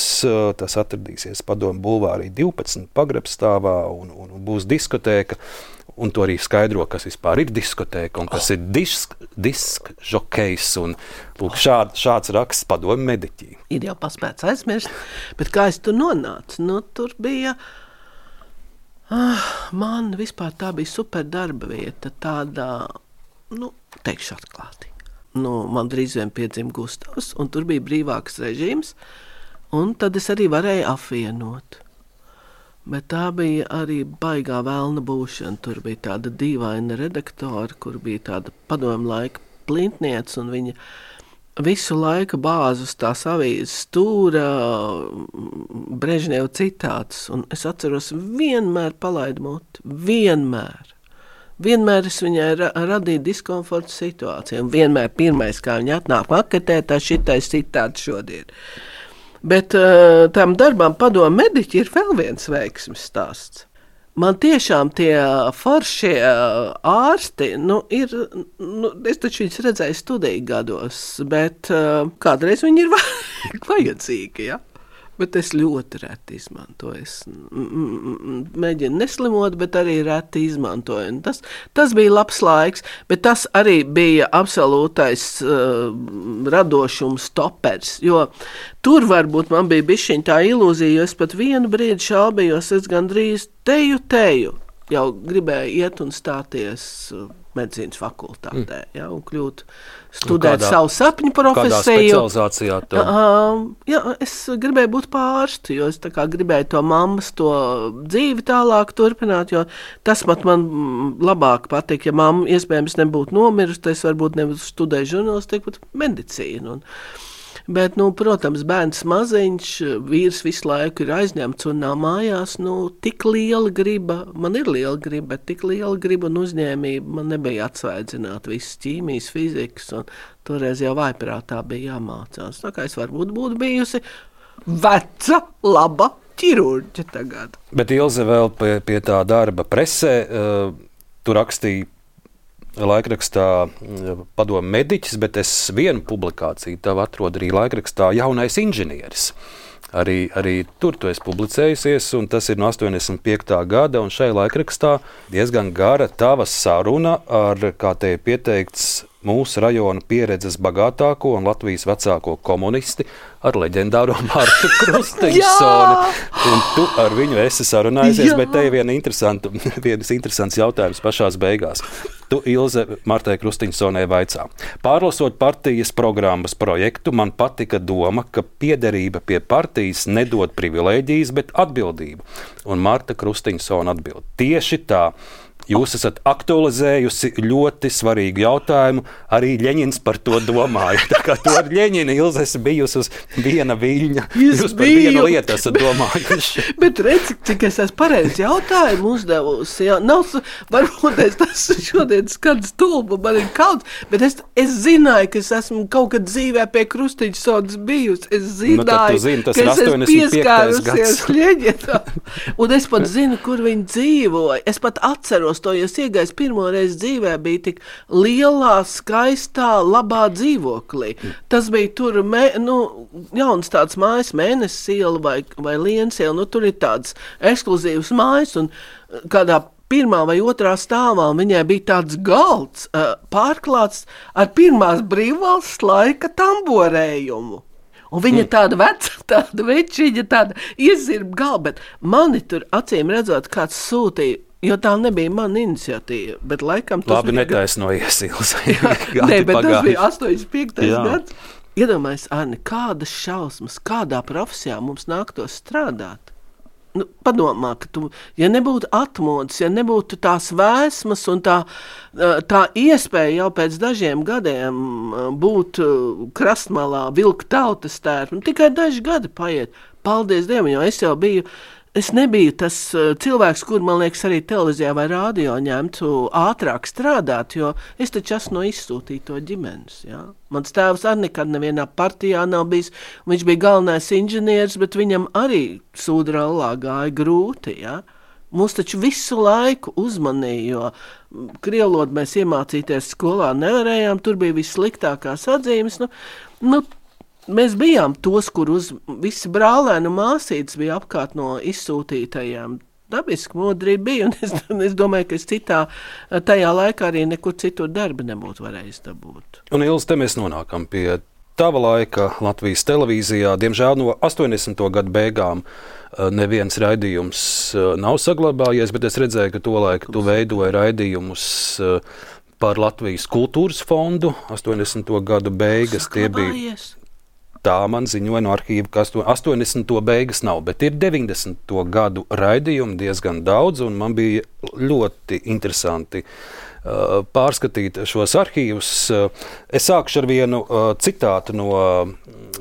tas atradīsies Padomu bulvārī divpadsmit pagrabstāvā un, un būs diskotēka, un to arī skaidro, kas vispār ir diskotēka un kas oh. ir disk, disk žokejs, un lūk, šād, šāds raksts Padomu mediķī. Ir jau paspēts aizmirst, bet kā es tur nonācu? Nu, tur bija... Ah, man vispār tā bija super darba vieta, tādā, nu, teikšu atklāti. Nu, man drīz vien piedzima Gustavs, un tur bija brīvāks režīms, un tad es arī varēju apvienot. Bet tā bija arī baigā velna būšana. Tur bija tāda dīvaina redaktora, kur bija tāda padomu laika plintniece, un viņa visu laiku bāz uz tās avīzes stūra Brežņeva citātus, un es atceros, vienmēr palaidu muti, vienmēr. Vienmēr es viņai ra- radīju diskomfortu situāciju, un vienmēr pirmais, kā viņa atnāk maketē, tā šitais citāts šodien. Bet uh, tam darbām Padomu mediķi ir vēl viens veiksmes stāsts. Man tiešām tie foršie ārsti, nu, ir, nu, es taču viņus redzēju studiju gados, bet uh, kādreiz viņi ir vajadzīgi, ja? Bet es ļoti reti izmantoju. Es mēģinu neslimot, bet arī reti izmantoju. Tas, tas bija labs laiks, bet tas arī bija absolūtais uh, radošums stopers, jo tur varbūt man bija bišķiņ tā ilūzija, jo es pat vienu brīdi šaubījos, es gandrīz teju teju jau gribēju iet un stāties medicīnas fakultātē, mm. ja, un kļūt studēt kādā, savu sapņu profesiju. Kādā specializācijā tu? Uh, jā, es gribēju būt pārstu, jo es tā kā gribēju to mammas, to dzīvi tālāk turpināt, jo tas pat man labāk patīk, ja mamma iespējams nebūtu nomirusi, tad es varbūt nebūtu studēju žurnālistiku, bet medicīnu. Un, bet, nu, protams, bērns maziņš, vīrs visu laiku ir aizņemts un nav mājās, nu, tik liela griba, man ir liela griba, bet tik liela griba un uzņēmība man nebija atsvaidzināt visas ķīmijas, fizikas, un toreiz jau vaiprātā bija jāmācās. Tā kā es varbūt būtu bijusi veca, laba ķirurģe tagad. Bet Ilze vēl pie, pie tā darba presē, uh, tu rakstīji laikrakstā Padomu mediķis, bet es vienu publikāciju tev atrodu arī laikrakstā Jaunais inženieris. Arī, arī tur tu esi publicējusies, un tas ir no astoņdesmit piektā gada, un šai laikrakstā diezgan gara tava saruna ar, kā te ir pieteikts, mūsu rajona pieredzes bagātāko un Latvijas vecāko komunisti ar leģendāro Martu Krustiņsoni. Un tu ar viņu esi sarunājusies, bet te ir viena interesanta, viens interesants jautājums pašās beigās. Tu, Ilze, Martai Krustiņsonai vaicā. Pārlasot partijas programmas projektu, man patika doma, ka piederība pie partijas nedod privilēģijas, bet atbildību. Un Marta Krustiņsona atbild. Tieši tā. Jūs esat aktualizējusi ļoti svarīgu jautājumu, arī Ļeņins par to domāja. Tā kā to ar Ļeņinu Ilze esi bijusi uz viena viļņa, jūs par biju, vienu lietu esat domājuši. Bet redzi, cik es esmu pareizi jautājumu uzdevusi. Jā, nav, varbūt es tas šodien skan stulbu, man ir kauns, bet es, es zināju, ka es esmu kaut kad dzīvē pie Krustiņsonas bijusi. Es zināju, nu, zini, ka es esmu pieskārusies Ļeņinam. Un es pat zinu, kur viņi dzīvoja. Es pat atceros to, jo iegājis pirmo reizi dzīvē bija tik lielā, skaistā, labā dzīvoklī. Tas bija tur, mē, nu, jauns tāds mājas, Mēnesis iela vai, vai Lienas iela, nu, tur ir tāds ekskluzīvs mājas, un kādā pirmā vai otrā stāvā viņai bija tāds galds pārklāts ar pirmās brīvvalsts laika tamborējumu. Un viņa tāda veca, tāda večiņa, tāda iezirba galva, bet mani tur acīm redzot, kāds sūtīja, jo tā nebija mana iniciatīva, bet laikam tas Labi, bija... Labi, netaisnojies, Ilze. Nē, bet pagāju. Tas bija astoņdesmit piektais gads. Iedomājies, Arni, kādas šausmas, kādā profesijā mums nāktos strādāt? Nu, padomā, ka tu, ja nebūtu atmodas, ja nebūtu tās vēsmas un tā, tā iespēja jau pēc dažiem gadiem būt krastmalā, vilkt tautas tērpu, tikai daži gadi paiet. Paldies Dievam, jo es jau biju, es nebiju tas cilvēks, kur, man liekas, arī televīzijā vai rādio ņemtu ātrāk strādāt, jo es taču esmu no izsūtīto ģimenes, jā. Mans tēvs arī nekad nevienā partijā nav bijis, viņš bija galvenais inženieris, bet viņam arī Sūdrallā gāja grūti, jā. Mūs taču visu laiku uzmanīja, jo krievlodu mēs iemācīties skolā nevarējām, tur bija vissliktākās atzīmes, nu, nu, mēs bijām tos, kur uz visi brālēnu māsītes bija apkārt no izsūtītajām. Dabiski modrība bija, un es, es domāju, ka es citā, tajā laikā arī nekur citur darba nebūtu varējis dabūt. Un Ilze, te mēs nonākam pie tava laika Latvijas televīzijā. Diemžēl no astoņdesmito gadu beigām neviens raidījums nav saglabājies, bet es redzēju, ka tolaik tu veidoji raidījumus par Latvijas kultūras fondu. astoņdesmito gadu beigas tie bija. Tā man ziņoja no arhīva, ka astoņdesmito beigas nav, bet ir deviņdesmito gadu raidījumi diezgan daudz, un man bija ļoti interesanti uh, pārskatīt šos arhīvus. Es sākšu ar vienu uh, citātu no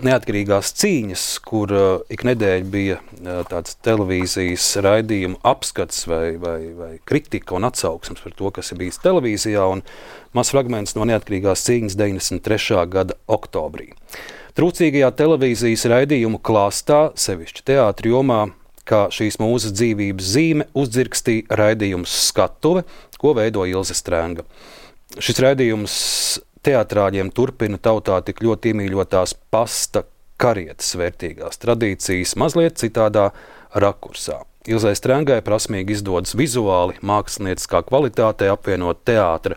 Neatkarīgās cīņas, kur uh, ik nedēļa bija uh, tāds televīzijas raidījumu apskats vai, vai, vai kritika un atsauksmes par to, kas ir bijis televīzijā, un mazs fragments no Neatkarīgās cīņas deviņdesmit trešā gada oktobrī. Trūcīgajā televīzijas raidījumu klāstā, sevišķi teātri jomā, kā šīs mūzes dzīvības zīme, uzdzirkstīja raidījums Skatuve, ko veido Ilze Strenga. Šis raidījums teatrāļiem turpina tautā tik ļoti iemīļotās pasta karietes vērtīgās tradīcijas mazliet citādā rakursā. Ilzei Strengai prasmīgi izdodas vizuāli, mākslinieckā kvalitātē apvienot teātra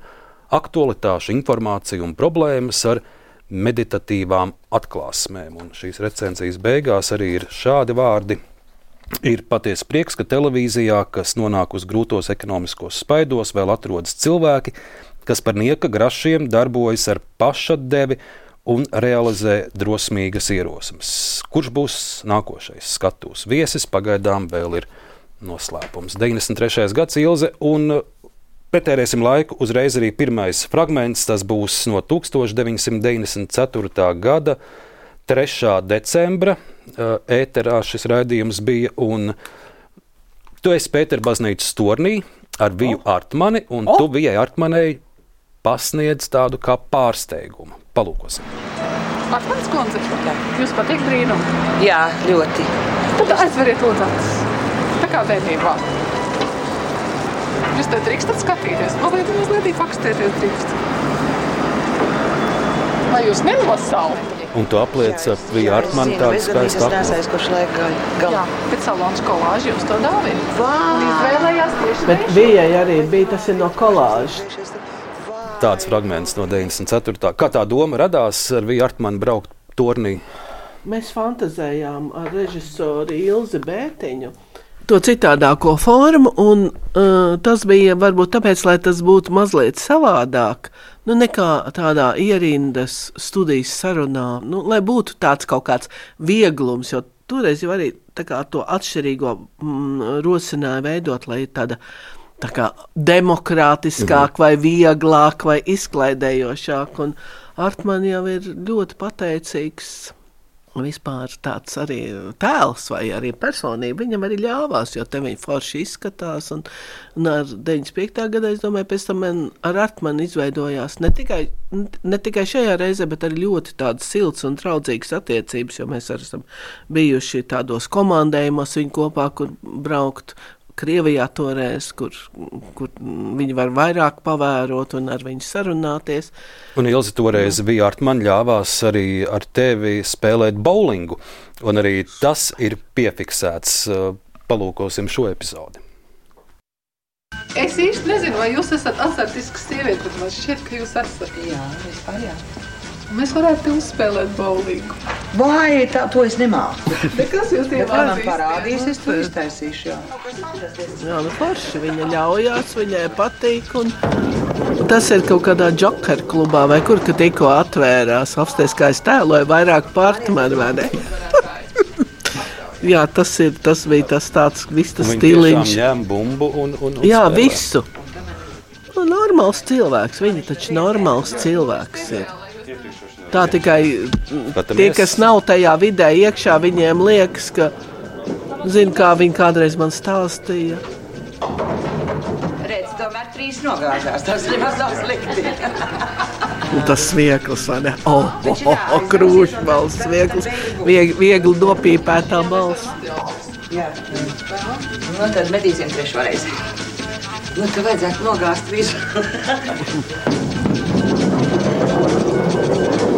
aktualitāšu, informāciju un problēmas ar meditatīvām atklāsmēm. Un šīs recenzijas beigās arī ir šādi vārdi. Ir patiesi prieks, ka televīzijā, kas nonāk uz grūtos ekonomiskos spaidos, vēl atrodas cilvēki, kas par nieka grašiem darbojas ar pašatdevi un realizē drosmīgas ierosmes. Kurš būs nākošais skatuves viesis, pagaidām vēl ir noslēpums. deviņdesmit trešais gads, Ilze, un pretērēsim laiku, uzreiz arī pirmais fragments, tas būs no tūkstoš deviņsimt deviņdesmit ceturtā gada trešā decembra. Ēterā šis raidījums bija, un tu esi Pēterbaznīcas tornī ar Viju oh. Artmani, un oh. tu Vijai Artmanei pasniedz tādu kā pārsteigumu. Palūkosim. Artmanis kundze, jūs patīk brīnumi? Jā, ļoti. Tad aizveriet lūdzu acis. Tā kā bērnībā. Jūs te drīkstat skatīties? Mazliet, mazliet pakstēties drīkst. Vai jūs nenosaukt? Un tu apliec ar Viju Artmani tādu skaistu apli. Kurš laika galā. Jā, bet salons kolāži jums to dāvina. Un izvēlējās tieši bet Vijai arī bija, tas ir no kolāžas. Tāds fragments no deviņdesmit ceturtā Kā tā doma radās ar Viju Artmani braukt tornī? Mēs fantazējām ar režisoru Ilzi Bērtiņu to citādāko formu, un uh, tas bija varbūt tāpēc, lai tas būtu mazliet savādāk, nu nekā tādā ierindas studijas sarunā, nu, lai būtu tāds kaut kāds vieglums, jo toreiz jau arī tā kā to atšķirīgo mm, rosināja veidot, lai tāda tā kā demokrātiskāk vai vieglāk vai izklaidējošāk, un Artmani jau ir ļoti pateicīgs vispār tāds arī tēls vai arī personība. Viņam arī ļāvās, jo te viņi forši izskatās, un, un ar deviņdesmit piektā gadā, es domāju, pēc tam man ar Artmani izveidojās ne tikai, ne tikai šajā reizē, bet arī ļoti tādas silts un draudzīgas attiecības, jo mēs arī esam bijuši tādos komandējumos viņu kopā, kur braukt Krievijā toreiz, kur, kur viņi var vairāk pavērot un ar viņu sarunāties. Un Ilze toreiz Vija Artmani ļāvās arī ar tevi spēlēt bowlingu, un arī tas ir piefiksēts. Palūkosim šo epizodi. Es īsti nezinu, vai jūs esat azartisks sieviete, bet man šķiet, ka jūs esat. Jā, vispār jā. Mēs varētu uzspēlēt bowlingu. Vai, tā, to es nemāku. Bet kas jūs tie manam parādīs, es to iztaisīšu, jā. Jā, nu forši, viņa ļaujās, viņai patīk, un tas ir kaut kādā Joker klubā, vai kur, ka tikko atvērās, apsties, kā es tēloju vairāk partmeri, vai ne? Jā, tas, ir, tas bija tas tāds viss tas Viņi stiliņš. tiešām ņem bumbu un, un, un Jā, spēlē. visu. Nu, normāls cilvēks, viņi taču normāls cilvēks ir. Tā tikai Skatāmies. tie, kas nav tajā vidē iekšā, viņiem liekas, ka, zinu, kā viņi kādreiz man stāstīja. Redz, tomēr trīs nogāzās, tas nemaz nav slikti. Un tas svieklis, vai ne? O, o, o, o krūšbalss, svieklis, viegli, viegli nopīpētā balss. Jā. Nu, tad medīsim trešo reizi. Nu, tu vajadzētu nogāzt visu.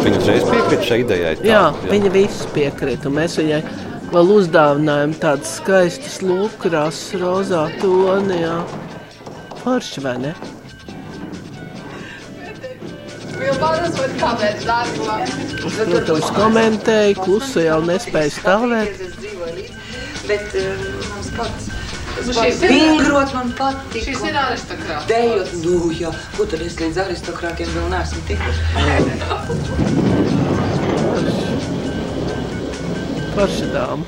Viņa uzreiz piekrīt šai idejai. Tā, Jā, viņa visu piekrīt, un mēs viņai vēl uzdāvinājām tādas skaistas lūkrās, rozā toni, jā. Forši, vai ne? Es, protams, komentēju, klusu jau nespēju stāvēt. Bet uh, mums pats, tas pats vingrot man patika. Šis ir aristokrāts. Dejot, nu jā, ko tad es līdz aristokrātiem vēl neesmu tikuši? Forši dāma.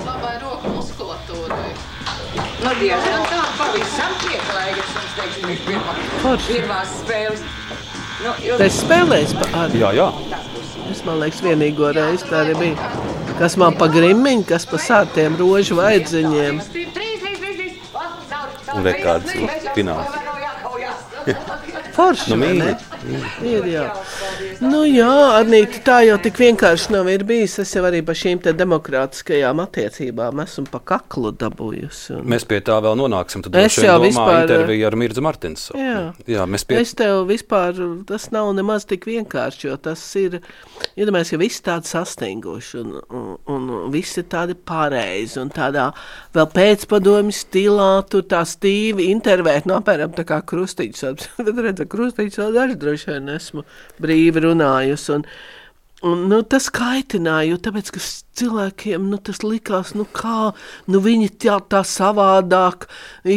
Labai roku muskulatūrai. Nu, diezgan tā pavisam pieklaigas, mums teiksim, ir pirmā, Forši. pirmās spēles. Nu, jo... Es spēlēju pa arī. Jā, jā. Es, man liekas, vienīgo reizi tā arī bija. Kas man pa grimmiņu, kas pa sārtiem rožu vaidziņiem. Un rekārds fināls. Forši, Nu, vai ne? mīļi. Ir, jā. Nu jā, Arnīti, tā jau tik vienkārši nav ir bijis. Es jau arī pa šīm te demokrātiskajām attiecībām esmu pa kaklu dabūjusi. Un... Mēs pie tā vēl nonāksim. Tad Es droši vien jau domā vispār- interviju ar Mirdzu Martinsonu. Jā. Jā, mēs pie... Es tev vispār, tas nav nemaz tik vienkārši, jo tas ir, iedomājies, ka visi tādi sastinguši un, un, un visi tādi pareizi un tādā vēl pēcpadomju stilā, tur tā stīvi intervēt, no apēram tā kā Krustiņš, bet redz, Krustiņš vēl daži droši vien esmu brīvi runājusi un, un nu, tas kaitināja, jo tāpēc, ka cilvēkiem, nu, tas likās, nu kā, nu viņi tā, tā savādāk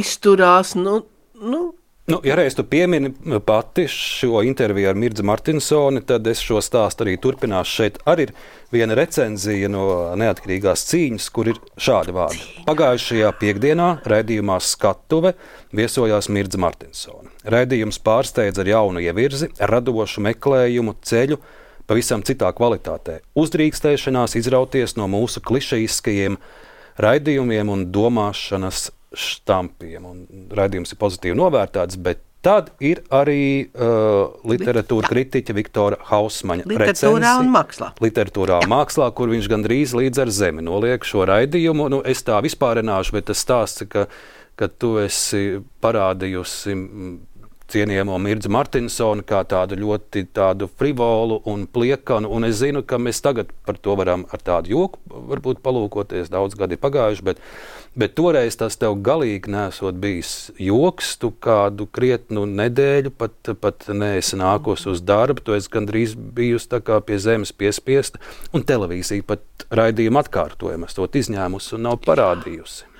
izturās, nu, nu, Nu, ja reiz tu piemini pati šo interviju ar Mirdzu Martinsoni, tad es šo stāstu arī turpināšu. Šeit arī ir viena recenzija no Neatkarīgās cīņas, kur ir šādi vārdi. Pagājušajā piekdienā raidījumā Skatuve viesojās Mirdza Martinsoni. Raidījums pārsteidz ar jaunu ievirzi, radošu meklējumu ceļu pavisam citā kvalitātē. Uzdrīkstēšanās izrauties no mūsu klišejiskajiem raidījumiem un domāšanas štampiem. Un raidījums ir pozitīvi novērtēts, bet tad ir arī uh, literatūra kritiķa Viktora Hausmaņa literatūrā recenzija. un mākslā. Literatūrā un mākslā, kur viņš gandrīz līdz ar zemi noliek šo raidījumu. Nu, es tā vispārināšu, bet tas stāsts, ka, ka tu esi parādījusi cienījamo Mirdzu Martinsonu kā tādu ļoti tādu frivolu un pliekanu, un es zinu, ka mēs tagad par to varam ar tādu joku varbūt palūkoties, daudz gadi pagājuši, bet, bet toreiz tas tev galīgi nesot bijis joks, tu kādu krietnu nedēļu pat, pat neesi nākos uz darbu, tu esi gandrīz bijusi tā kā pie zemes piespiesta, un televīzija pat raidījumu atkārtojumu esot izņēmusi un nav parādījusi.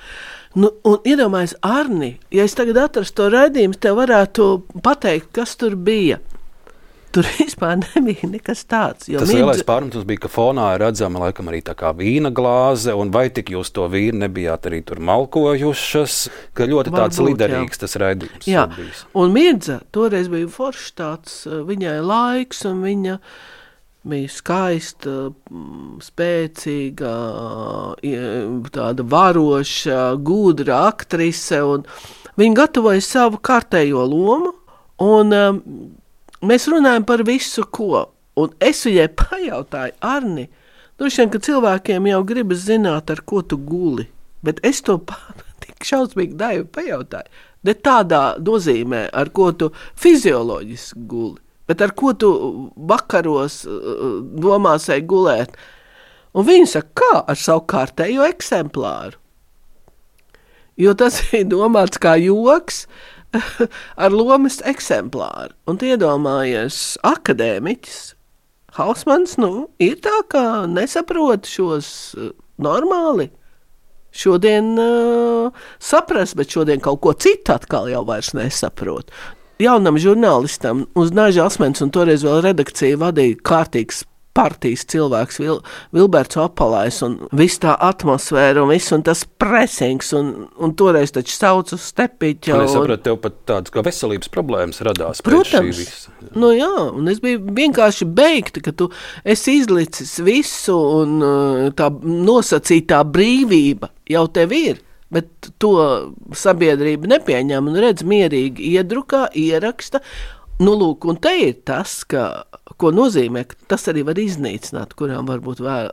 Nu, un iedomājies, Arni, ja es tagad atrastu to raidījumu, tev varētu pateikt, kas tur bija. Tur vispār nebija nekas tāds. Tas Mirdzu... lielais pārmetums bija, ka fonā ir redzama laikam arī tā kā vīna glāze, un vai tik jūs to vīnu nebijāt arī tur malkojušas, ka ļoti tāds Varbūt, liderīgs jā. tas raidījums Jā, ir bijis. un Mirdza toreiz bija foršs tāds, viņai laiks, un viņa bija skaista, spēcīga, tāda varoša, gudra aktrise, un viņa gatavoja savu kārtējo lomu, un um, mēs runājam par visu, ko. Un es viņai pajautāju, Arni, droši vien, ka cilvēkiem jau gribas zināt, ar ko tu guli, bet es to tik šausmīgi daivu pajautāju, ne tādā nozīmē, ar ko tu fizioloģiski guli, bet ar ko tu vakaros domāsai gulēt. Un viņi saka, kā ar savu kārtējo eksemplāru. Jo tas ir domāts kā joks ar lomas eksemplāru. Un iedomājies, akadēmiķis Hausmans, nu, ir tā kā nesaprot šos normāli. Šodien uh, saprast, bet šodien kaut ko citu atkal jau vairs nesaprot. Jaunam žurnālistam uz Naža Asmens, un toreiz vēl redakcija vadīja kārtīgs partijas cilvēks, Vil, Vilberts Opalais, un viss tā atmosfēra, un viss, un tas presings, un, un toreiz taču sauc uz Stepiķa. Un es sapratu, tev pat tādas kā veselības problēmas radās. Protams, pēc šī visa. Nu jā, un es biju vienkārši beigta, ka tu esi izlicis visu, un tā nosacītā brīvība jau tev ir, bet to sabiedrība nepieņem un redz mierīgi iedrukā, ieraksta. Nu, lūk, un te ir tas, ka, ko nozīmē, ka tas arī var iznīcināt, kurām varbūt vēl,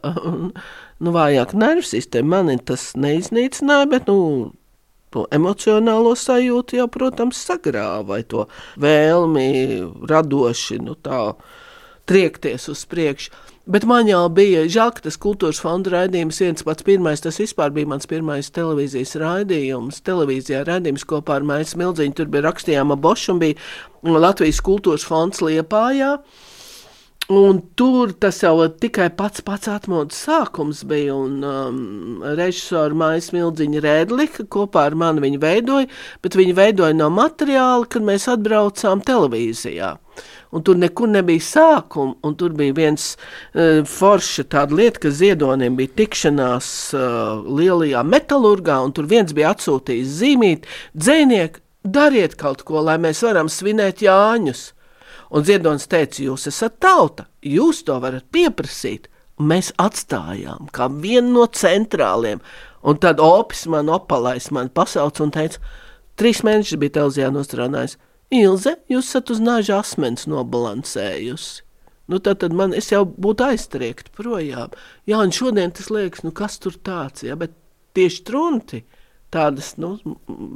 nu, vājāk nervu sistēma. Mani tas neiznīcināja, bet, nu, to emocionālo sajūtu jau, protams, sagrāva, vai to vēlmi radoši, nu, tā triekties uz priekšu. Bet man jau bija žēl, ka tas kultūras fonda raidījums viens pats pirmais, tas vispār bija mans pirmais televīzijas raidījums, televīzijā raidījums kopā ar Maisu Smildziņu, tur bija rakstījām Bošu un bija Latvijas kultūras fonds Liepājā, un tur tas jau tikai pats pats atmodas sākums bija, un um, režisori Maisu Smildziņa Rēdlika kopā ar mani viņu veidoja, bet viņu veidoja no materiāla, kad mēs atbraucām televīzijā. Un tur nekur nebija sākuma, un tur bija viens uh, forša tāda lieta, ka Ziedonim bija tikšanās uh, lielajā metalurgā, un tur viens bija atsūtījis zīmīt, dzejnieki, dariet kaut ko, lai mēs varam svinēt Jāņus. Un Ziedonis teica, jūs esat tauta, jūs to varat pieprasīt, un mēs atstājām kā vienu no centrāliem. Un tad Opis man Opalais man pasauc un teica, trīs mēnešus bija televīzijā nostrādājis, Ilze, jūs esat uz nāža asmens nobalansējusi. Nu, tad, tad man, es jau būtu aiztriekt projām. Jā, un šodien tas liekas, nu, kas tur tāds, ja, bet tieši trunti, tādas, nu,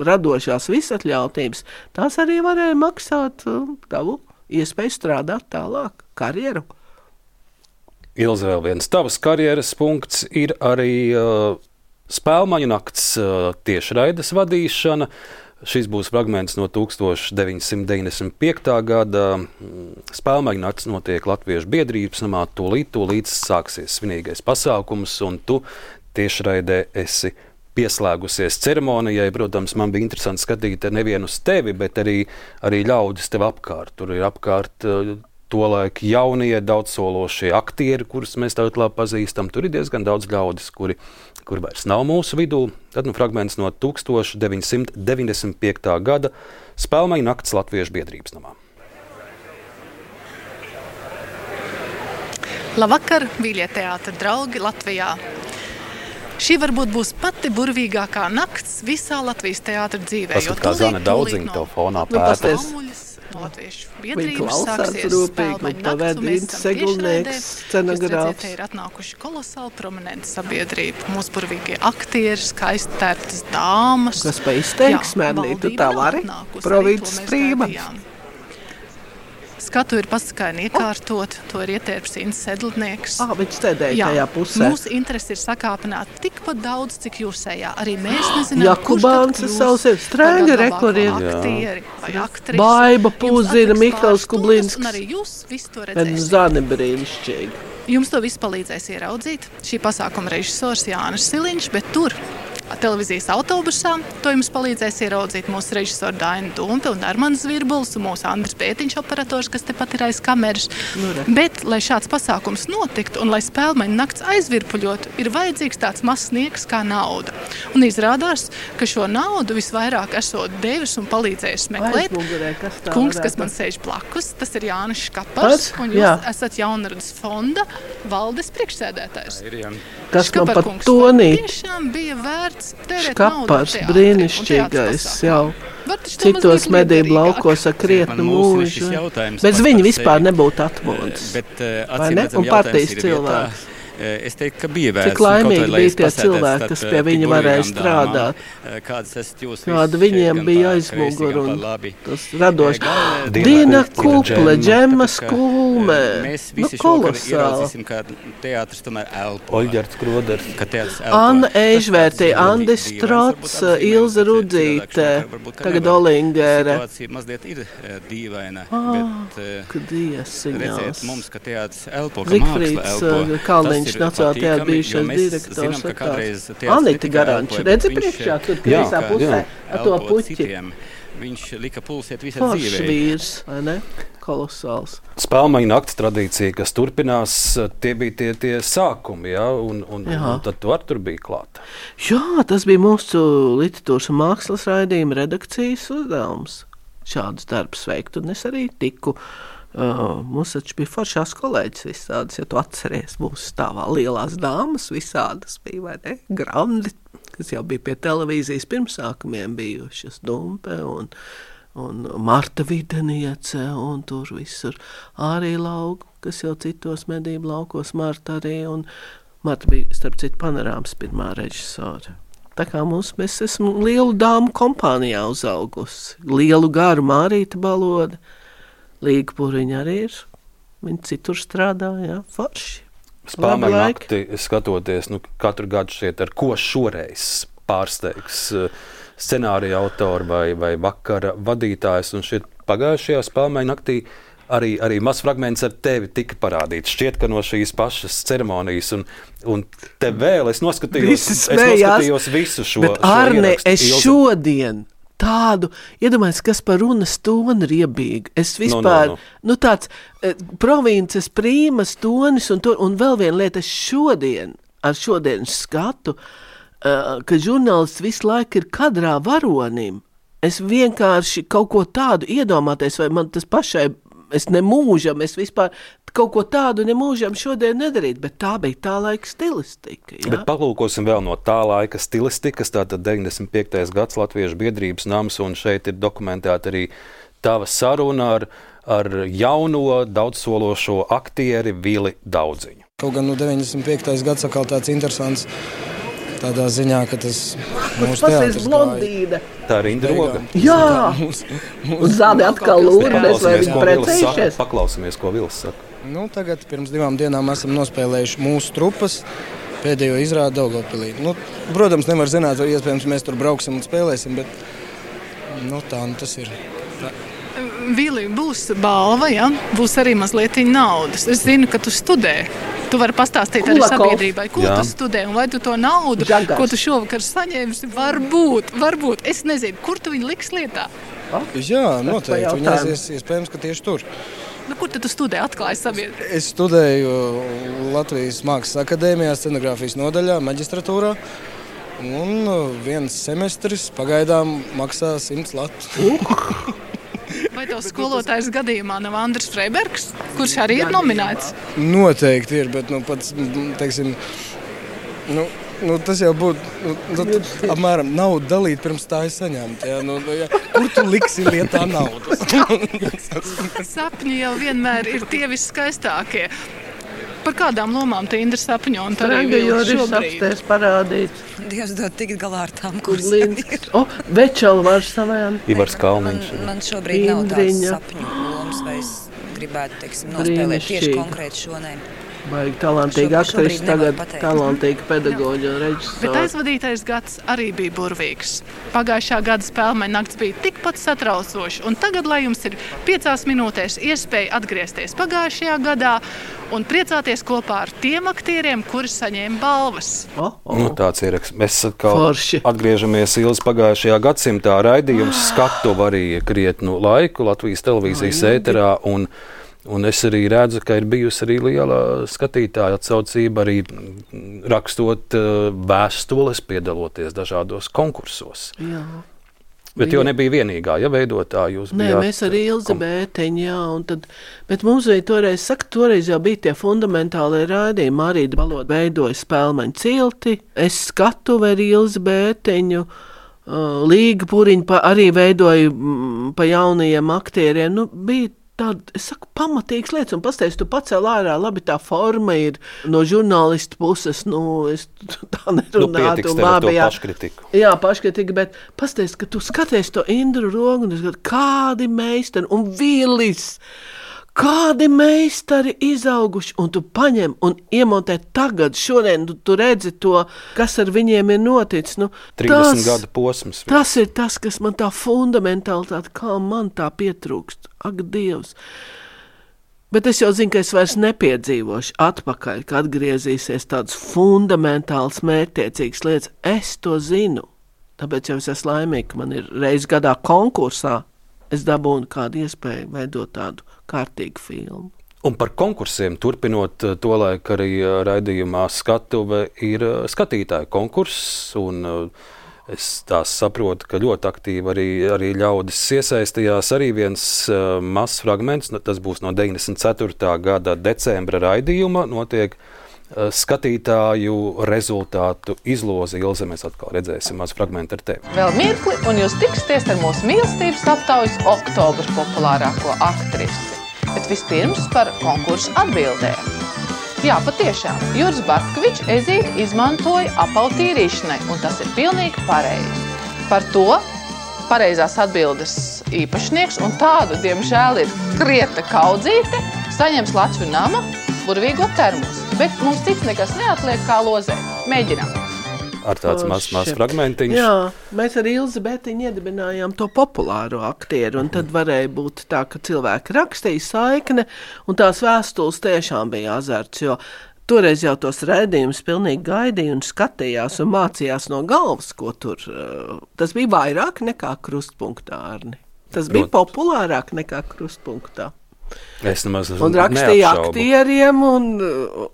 radošās visatļautības, tās arī varēja maksāt uh, tavu iespēju strādāt tālāk, karjeru. Ilze, vēl viens tavas karjeras punkts ir arī uh, Spēlmaņu nakts uh, tiešraides vadīšana. Šis būs fragments no tūkstoš deviņsimt deviņdesmit piektā gada. Spēlmaņu nakts notiek Latviešu biedrības namā, tūlīt, tūlīt sāksies svinīgais pasākums, un tu tiešraidē esi pieslēgusies ceremonijai. Protams, man bija interesanti skatīt nevienu uz tevi, bet arī, arī ļaudis tev apkārt. Tur ir apkārt uh, tolaik jaunie, daudzsološie aktieri, kurus mēs tagad labi pazīstam. Tur ir diezgan daudz ļaudis, kuri, kuri vairs nav mūsu vidū. Tad nu fragments no tūkstoš deviņsimt deviņdesmit piektā gada Spēlmaņu nakts Latviešu biedrības namā. Labvakar, mīļie teātra draugi Latvijā! Šī varbūt būs pati burvīgākā nakts visā Latvijas teātra dzīvē. Paskat, kā Zana Daudziņa tev fonā pēta. Latviešu biedrības sāksies Spēlmaņu nakts, un mēs esam tiešraidē. Jūs redzat, te ir atnākuši kolosāli prominenti sabiedrība. Mūsu burvīgie aktieri, skaisti tērptas dāmas. Kas pa izteiks, Mērlī, tu tā vari? Provinces prīma. Skatu ir pasakaini iekārtot, to ir ietērps Inns Sedlnieks. Ah, viņš sēdēja tajā pusē. Mūsu interesi ir sakāpināt tikpat daudz, cik jūsējā. Arī mēs nezinām, Jakubāns kurš tad savs ir strēga rekordieri. Aktieri vai aktrises. Baiba Pūzina, Mihals Kublinsks. Un arī jūs visu to redzēsiet. Zani brīnišķīgi. Jums to visu palīdzēs ieraudzīt. Šī pasākuma režisors Jānis Siliņš, bet tur televīzijas autobusā. To jums palīdzēs ieraudzīt mūsu režisori Daina Dumpe un Armans Virbuls un mūsu Andris Pētiņš operators, kas tepat ir aiz kameras. Nu, Bet, lai šāds pasākums notiktu un lai Spēlmaņu nakts aizvirpuļotu, ir vajadzīgs tāds mazs sniegs kā nauda. Un izrādās, ka šo naudu visvairāk esot devis un palīdzējis meklēt. Aizmugurē, kas tā Kungs, kas varētu? man sēž blakus, tas ir Jānis Škapars, un jūs Jā. esat Jaunradas fonda valdes priekšsēdētājs. Kas man pat Škaparkungs, tonī. Tiešām bija vērts tērēt naudu Škapars, teātrim un brīnišķīgais, teātras jau. pasākumiem. Var taču to Citos mazliet medību liederīgāk. laukos ar krietnu mūžu. Bez viņa vispār nebūtu atmodas. Bet, Vai ne? Un partijas cilvēks. Es teiktu, ka bija vērts. Cik laimīgi bija tie cilvēki, kas pie viņa varēja strādāt. Kāda viņiem bija aizmugur un tas radoši. Dina Kuple, Džemma Skulme. Mēs Nu, visi šokar kolosāli. ieraudzīsim, ka teātris tomēr elpo. Oļģerts Kroders. Ka teātris elpo. Anna Eižvērtī, Tas, kas Andis dīvains, Trots, varbūt tas Ilze ir Rudzīte, cilvēks, varbūt, ka tagad nevar. Olingere. Situācija mazliet ir eh, dīvaina, Ah, bet eh, kad iesiņās. redzēt mums, ka teātris elpo, ka Zigfrīds, māksla elpo. Kalniņš, Tas ir Nacionālajā teātrī patīkami, bijušais jo mēs direktors, zinām, ka ir tāds. kādreiz teātris Anita ne tikai Garanča, elpoja, redzi bet viņš, priekšā, tur Jā, kreisā pusē, jā. ar to elpo puķi. citiem. viņš lika pulsiet visai Foršs dzīvei. vīrs, vai ne? Kolosāls. Spēlmaņu nakts tradīcija, kas turpinās, tie bija tie, tie sākumi, ja? un, un, Jā. un tad tu ar tur bija klāt. Jā, tas bija mūsu literatūras un mākslas raidījuma redakcijas uzdevums. Šādus darbus veikt, un es arī tiku. Uh, mums taču bija foršās kolēģis visādas, ja tu atceries, mūsu stāvā lielās dāmas visādas bija, vai ne? Grandi, kas jau bija pie televīzijas pirmsākumiem bijušas, Dumpe un, un Marta Videniece, un tur visur arī lauku, kas jau citos medību laukos, Marta arī, un Marta bija, starp citu, Panorāmas pirmā režisora. Tā kā mums, mēs esam lielu dāmu kompānijā uzaugusi, lielu garu Mārīta Baloda, Līga Puriņa arī ir, viņi citur strādā, jā, forši. Spēlmaņu nakti skatoties, nu, katru gadu šeit ar ko šoreiz pārsteigs scenārija autori vai, vai vakara vadītājs, un šeit pagājušajā Spēlmaņu naktī arī, arī mazs fragments ar tevi tika parādīts. Šķiet, ka no šīs pašas ceremonijas, un, un te vēl es noskatījos, es noskatījos visu šo, bet, šo Arne, ierakstu. Es Ilze. šodien tādu, iedomājies, kas par runas toni riebīgi. Es vispār, no, no, no. nu tāds eh, provinces prīmas tonis, un, to, un vēl viena lieta, es šodien, ar šodienas skatu, uh, ka žurnālists visu laiku ir kadrā varonim. Es vienkārši kaut ko tādu iedomāties, vai man tas pašai, es nemūžam, es vispār kaut ko tādu nemūžam šodien nedarīt, bet tā bija tā laika stilistika. Ja? Bet palūkosim vēl no tā laika stilistikas, tātad deviņdesmit piektais gads Latviešu biedrības nams, un šeit ir dokumentēta arī tava saruna ar, ar jauno daudzsološo aktieri Vili Daudziņu. Kaut gan no deviņdesmit piektais gads atkal tāds interesants tādā ziņā, ka tas mūsu teātris blondīne. Tā ir Indra Roga. Jā, un Zāde atkal lūdnes, vai viņi precējušies. Paklausamies, ko Vils saka. Nu, tagad pirms divām dienām esam nospēlējuši mūsu trupas pēdējo izrādi Daugavpilī. Nu, protams, nevar zināt, vai iespējams mēs tur brauksim un spēlēsim, bet nu, tā nu tas ir. Tā. Vili, būs balva, ja? Būs arī mazliet naudas. Es zinu, ka tu studē. Tu vari pastāstīt arī sabiedrībai, ko Jā. tu studē un vai tu to naudu, Žagars. Ko tu šovakar saņēmsi, varbūt, varbūt. Es nezinu, kur tu viņu liks lietā? Jā, noteikti. Viņi aizies, iespējams, ka tieši tur. Nu, kur tad tu studē? Atklāji sabiedrību? Es studēju Latvijas Mākslas akadēmijā, scenogrāfijas nodaļā, maģistratūrā. Un viens semestris pagaidām maksā simts latu. Vai tev skolotājs gadījumā nav Andris Freibergs, kurš arī ir nominēts? Noteikti ir, bet nu, pats, teiksim, nu, nu, tas jau būtu nu, apmēram naudu dalīt pirms tā es saņemt. Ja? Nu, ja, kur tu liksi lietā naudu? Sapņi jau vienmēr ir tie viskaistākie. Par kādām lomām te Indra sapņo un tā arī vēl šobrīd? Parādīt. Dievs dod tikt galā ar tām, kuras ir. O, Večela var savajām. Ivars Kalniņš. Man, man šobrīd nav tāds sapņu lomas, vai es gribētu, teiksim, nospēlēt tieši konkrēti šo nē. Baigi talantīga aktrisa, tagad talantīga pedagoģa un režisora. Bet aizvadītais gads arī bija burvīgs. Pagājušā gada Spēlmaņu nakts bija tikpat satraucoši, un tagad, lai jums ir piecās minūtēs iespēja atgriezties pagājušajā gadā un priecāties kopā ar tiem aktieriem, kuri saņēma balvas. Oh, oh. Nu, tāds ir. Mēs atkal Forši. atgriežamies Ilzi pagājušajā gadsimtā. Raidījums skatuve arī krietnu laiku Latvijas televīzijas ēterā, un Un es arī redzu, ka ir bijusi arī liela skatītāja atsaucība, arī rakstot uh, vēstules, piedaloties dažādos konkursos. Jā. Bet jau nebija vienīgā, ja veidotāji jūs Nē, bijāt. Mēs arī Ilze Bēteņi, jā, un tad, bet mums bija toreiz, saka, toreiz jau bija tie fundamentālie raidījumi, Mārīta Baloda veidoja Spēlmaņu cilti, es skatuve ar Ilze Bēteņu, uh, Līga Puriņa arī veidoja mm, pa jaunajiem aktieriem, nu, bija tāda, es saku, pamatīgas lietas, un pastāst, tu pacēl ārā, labi, tā forma ir no žurnālistu puses, nu, es tā nerunātu. Nu, pietiks tev ar to paškritiku. Jā, paškritiku, bet pastāst, ka tu skaties to Indru Rogu, un es gadu, kādi meistari, un Vilis, kādi meistari izauguši, un tu paņem un iemontē tagad, šodien, tu, tu redzi to, kas ar viņiem ir noticis. Nu, trīsdesmit gadu posms. Tas ir tas, kas man tā fundamentālitāte, kā man tā pietrūkst. Ak, Dievs! Bet es jau zinu, ka es vairs nepiedzīvošu atpakaļ, ka atgriezīsies tādas fundamentāls, mērķtiecīgas lietas. Es to zinu. Tāpēc jau es esmu laimīga, ka man ir reiz gadā konkursā, es dabūnu kādu iespēju veidot tādu kārtīgu filmu. Un par konkursiem turpinot, tolaik arī raidījumā Skatuve ir skatītāju konkurss, un es tās saprotu, ka ļoti aktīvi arī, arī ļaudis iesaistījās. Arī viens uh, mazs fragments, tas būs no deviņdesmit ceturtā gada decembra raidījuma, notiek uh, skatītāju rezultātu izloze. Ilze, mēs atkal redzēsim maz fragmentu ar tevi. Vēl mirkli, un jūs tiksieties ar mūsu mīlestības aptaujas oktobra populārāko aktrisi. Bet vispirms par konkursu atbildēm. Jā, patiešām, Juris Bartkevičs ezīti izmantoja apautīrīšanai, un tas ir pilnīgi pareizi. Par to pareizās atbildes īpašnieks, un tādu, diemžēl, ir Krieta Kaudzīte, saņems Latviju nama burvīgo termos. Bet mums cits nekas neatliek kā lozē. Mēģinām. Ar tāds mazs maz fragmentiņš. Jā, mēs ar Ilzi Bētiņu iedibinājām to populāro aktieru, un tad varēja būt tā, ka cilvēki rakstīja saikne, un tās vēstules tiešām bija azarts, jo toreiz jau tos raidījumus pilnīgi gaidīja un skatījās un mācījās no galvas, ko tur. Tas bija vairāk nekā krustpunktā, Arni. Tas bija populārāk nekā krustpunktā. Es nemaz un rakstīja neapšaubu. Aktieriem un,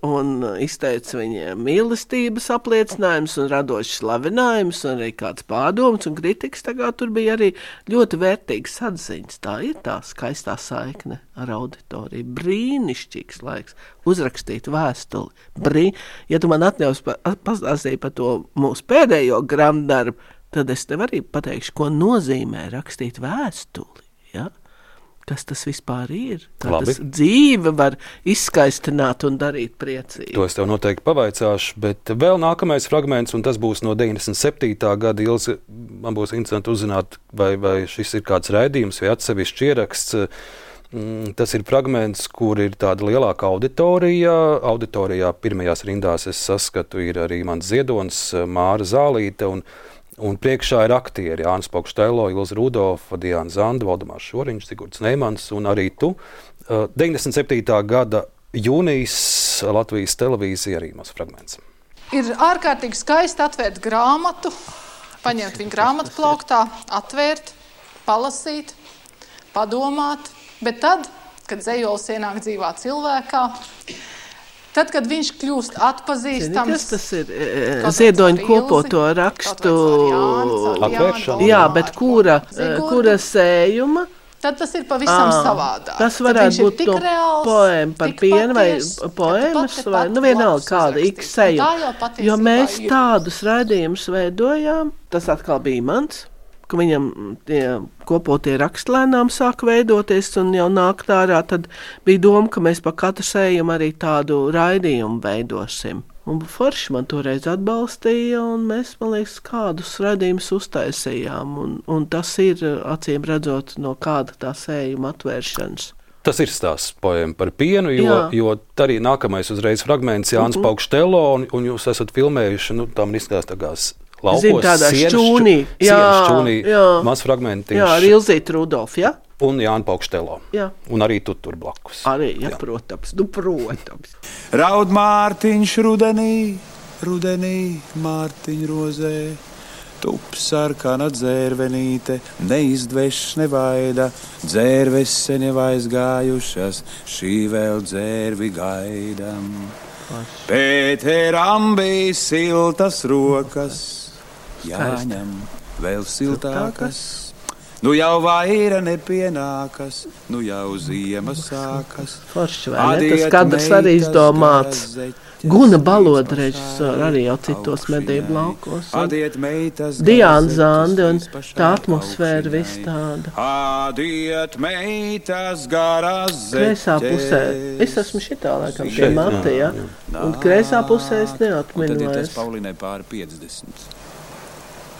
un izteica viņiem mīlestības apliecinājumus un radošs slavinājumus un arī kāds pārdoms un kritikas. Tagad tur bija arī ļoti vērtīgas atziņas. Tā ir tā skaistā saikne ar auditoriju. Brīnišķīgs laiks uzrakstīt vēstuli. Brī... Ja tu man atļaus pa, pastāstīt par to mūsu pēdējo grāmatdarbu, tad es tev arī pateikšu, ko nozīmē rakstīt vēstuli. Ja? Kas tas vispār ir? Kā tas dzīve var izskaistināt un darīt priecīgi. To es tev noteikti pavaicāšu, bet vēl nākamais fragments, un tas būs no deviņdesmit septītā gada. Ilze, man būs interesanti uzzināt, vai, vai šis ir kāds raidījums vai atsevišķs ieraksts. Tas ir fragments, kur ir tāda lielāka auditorija. Auditorijā pirmajās rindās es saskatu ir arī mans Ziedonis, Māra Zālīte, un Un priekšā ir aktieri Jānis Pokštelo, Ilze Rudolfa, Diana Zanda, Valdemārs Šoriņš, Sigurds Neimans un arī tu. deviņdesmit septītā gada jūnijas Latvijas televīzija arī mazs fragments. Ir ārkārtīgi skaisti atvērt grāmatu, paņemt viņu grāmatu plauktā, atvērt, palasīt, padomāt, bet tad, kad dzejols ienāk dzīvā cilvēkā, tad, kad viņš kļūst atpazīstams... Kas tas ir? Ziedoņa kopoto rakstu... Atvēršana. Jā, bet kura, kura sējuma? Tad tas ir pavisam à, savādāk. Tas varētu būt no poēma par pienu vai poēmas, vai nu vienalga kāda X sējuma. Jo mēs tādus raidījumus veidojām, tas atkal bija mans, ka viņam tie kopotie rakstlēnām sāk veidoties un jau nāk ārā, tad bija doma, ka mēs pa katru sējumu arī tādu raidījumu veidosim. Un forši man toreiz atbalstīja, un mēs, man liekas, kādus raidījumus uztaisījām, un, un tas ir, acīm redzot, no kāda tā sējuma atvēršanas. Tas ir stāsts poēma par pienu, jo, jo arī nākamais uzreiz fragments Jānis mm-hmm. Pokštelo, un, un jūs esat filmējuši, nu, tam izskatās tā kā laukos, Zin, tādā šķūnī, jā, šķūnī, jā, maz fragmentiņš. Jā, ar Ilzīti Rudolfu, jā? Un Jāni Pokštelo. Jā. Un arī tu tur blakus. Arī, jā, jā. protams, nu, protams. Raud Mārtiņš rudenī, rudenī Mārtiņ rozē, tup sarkana dzērvenīte, neizdveš nevaida, dzērves sen jau aizgājušas, šī vēl dzērvi gaidam. Pēteram bija siltas rokas, jāņem vēl siltākas. Nu jau vaira nepienākas, nu jau ziema sākas. Forši, vai ne? Tas kadrs arī izdomāts. Guna Baloda režisora arī jau citos medību laukos. Diana Zanda un tā atmosfēra viss tāda. Adiet meitas garās zeķē. Kreisā pusē. Es esmu šitā laikam pie Mati, ja? Un kreisā pusē es neatminu vairs. Un tad ir tas Paulinai pāri piecdesmit.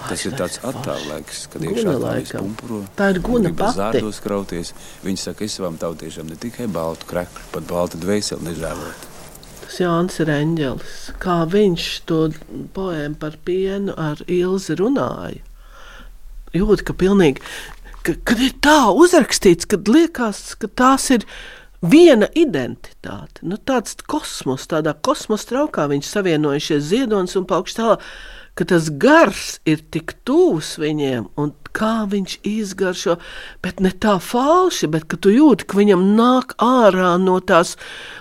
Tas ir tāds attālēks, kad iekšā tālīs pumpuro. Tā ir Guna pati. Zārdos krauties. Viņi saka, es savām tautiešām ne tikai baltu krekli, pat baltu dvēseli nežēlot. Tas Jānis ir eņģelis. Kā viņš to poēmu par pienu ar Ilzi runāja. Jūt, ka pilnīgi, ka, kad ir tā uzrakstīts, kad liekas, ka tās ir viena identitāte. Nu, tāds kosmos, tādā kosmos traukā viņš savienojušies Ziedonis un Pokštelo, ka tas gars ir tik tūs viņiem, un kā viņš izgaršo, bet ne tā falši, bet ka tu jūti, ka viņam nāk ārā no tās,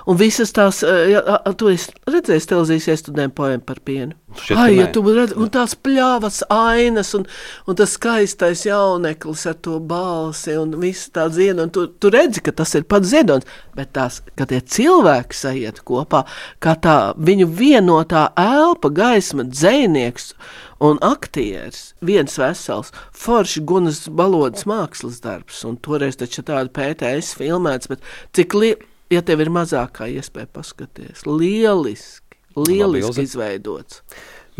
un visas tās, ja, tu esi redzējis televīzijas iestudēm poēmu par pienu. Ai, ja tu redz, un tās pļāvas ainas, un, un tas skaistais jauneklis ar to balsi, un viss tā dzieda, un tu, tu redzi, ka tas ir pats ziedons, bet tās, ka tie cilvēki sajiet kopā, kā tā viņu vienotā elpa, gaisma, dzejnieks un aktieris, viens vesels, forši Gunas Balodas mākslas darbs, un toreiz taču tāda P T S filmēts, bet cik li... ja tev ir mazākā iespēja paskaties, lieliski, lieliski izveidots.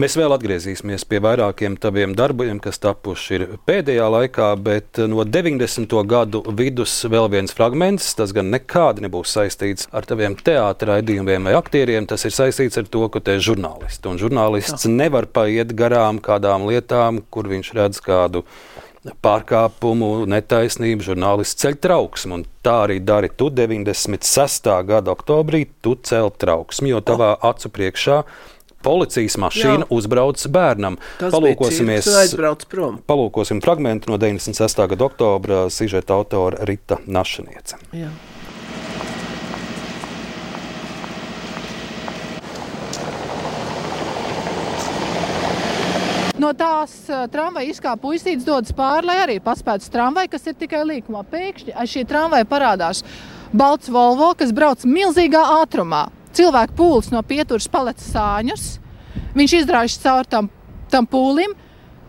Mēs vēl atgriezīsimies pie vairākiem taviem darbiem, kas tapuši ir pēdējā laikā, bet no deviņdesmito gadu vidus vēl viens fragments, tas gan nekādi nebūs saistīts ar taviem teātra raidījumiem vai aktieriem, tas ir saistīts ar to, ka te ir žurnālisti. Un žurnālists Jā. nevar paiet garām kādām lietām, kur viņš redz kādu pārkāpumu, netaisnību, žurnālists ceļ trauksmu, un tā arī dari tu deviņdesmit sestā gada oktobrī, tu cel trauksmi, jo tavā acu priekšā policijas mašīna Jā. uzbrauc bērnam. Tas palūkosimies, bija aizbrauc prom. Palūkosim fragmentu no deviņdesmit sestā gada oktobra, sižeta autora Rita Našaniece. Jā. No tās uh, tramvaja izkāpa puisītes, dodas pāri, lai arī paspētu tramvaju, kas ir tikai līkumā. Pēkšņi aiz šī tramvaja parādās balts Volvo, kas brauc milzīgā ātrumā. Cilvēku pūlis no pieturas palec sāņus. Viņš izrāžas caur tam, tam pūlim.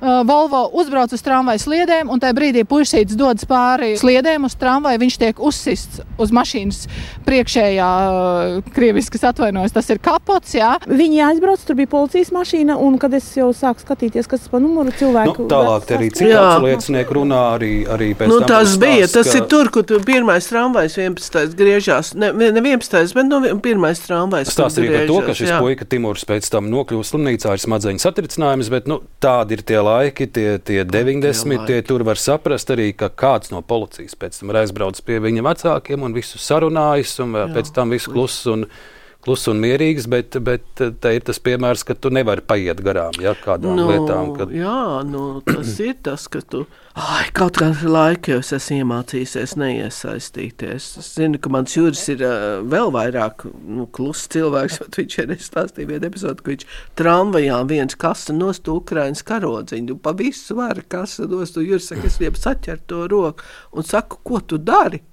Uh, Volvo uzbrauc uz tramvaju sliedēm, un tajā brīdī puisītes dodas pāri sliedēm uz tramvaju. Viņš tiek uzsists uz mašīnas priekšējā, uh, krieviski atvainojas, tas ir kapots, jā. Viņi aizbrauc, tur bija policijas mašīna, un kad es jau sāku skatīties, kas pa numuru cilvēku... Nu, tālāk te arī citāts liecinieki runā, arī, arī pēc nu, tam... Nu, tas bija, tas ka... ir tur, kur tu pirmais tramvajs vienpadsmitais griežās, ne, ne vienpadsmitais, bet no pirmais tramvajs Stāst arī par to, ka šis jā. puika Timurs pēc tam nokļūst slimnīcā ar smadzeņu satricinājums, bet, nu, tādi ir tie laiki, tie, tie deviņdesmit, tie tur var saprast arī, ka kāds no policijas pēc tam ir aizbraucis pie viņa vecākiem un visu sarunājis, un Jā, pēc tam visu kluss un, klus un mierīgs, bet, bet te ir tas piemērs, ka tu nevari paiet garām, ja, kādām nu, lietām. Kad... Jā, nu, tas ir tas, ka tu, ai, kaut kādu laiku jau es esmu iemācījusies neiesaistīties. Es zinu, ka mans Juris ir uh, vēl vairāk nu, kluss cilvēks, bet viņš ir stāstīja vienu epizodu, ka viņš tramvajā viens kasa nost Ukrainas karodziņu, pa visu var kasa nost, un Juris saka, es liebu saķert to roku un saku, ko tu dari,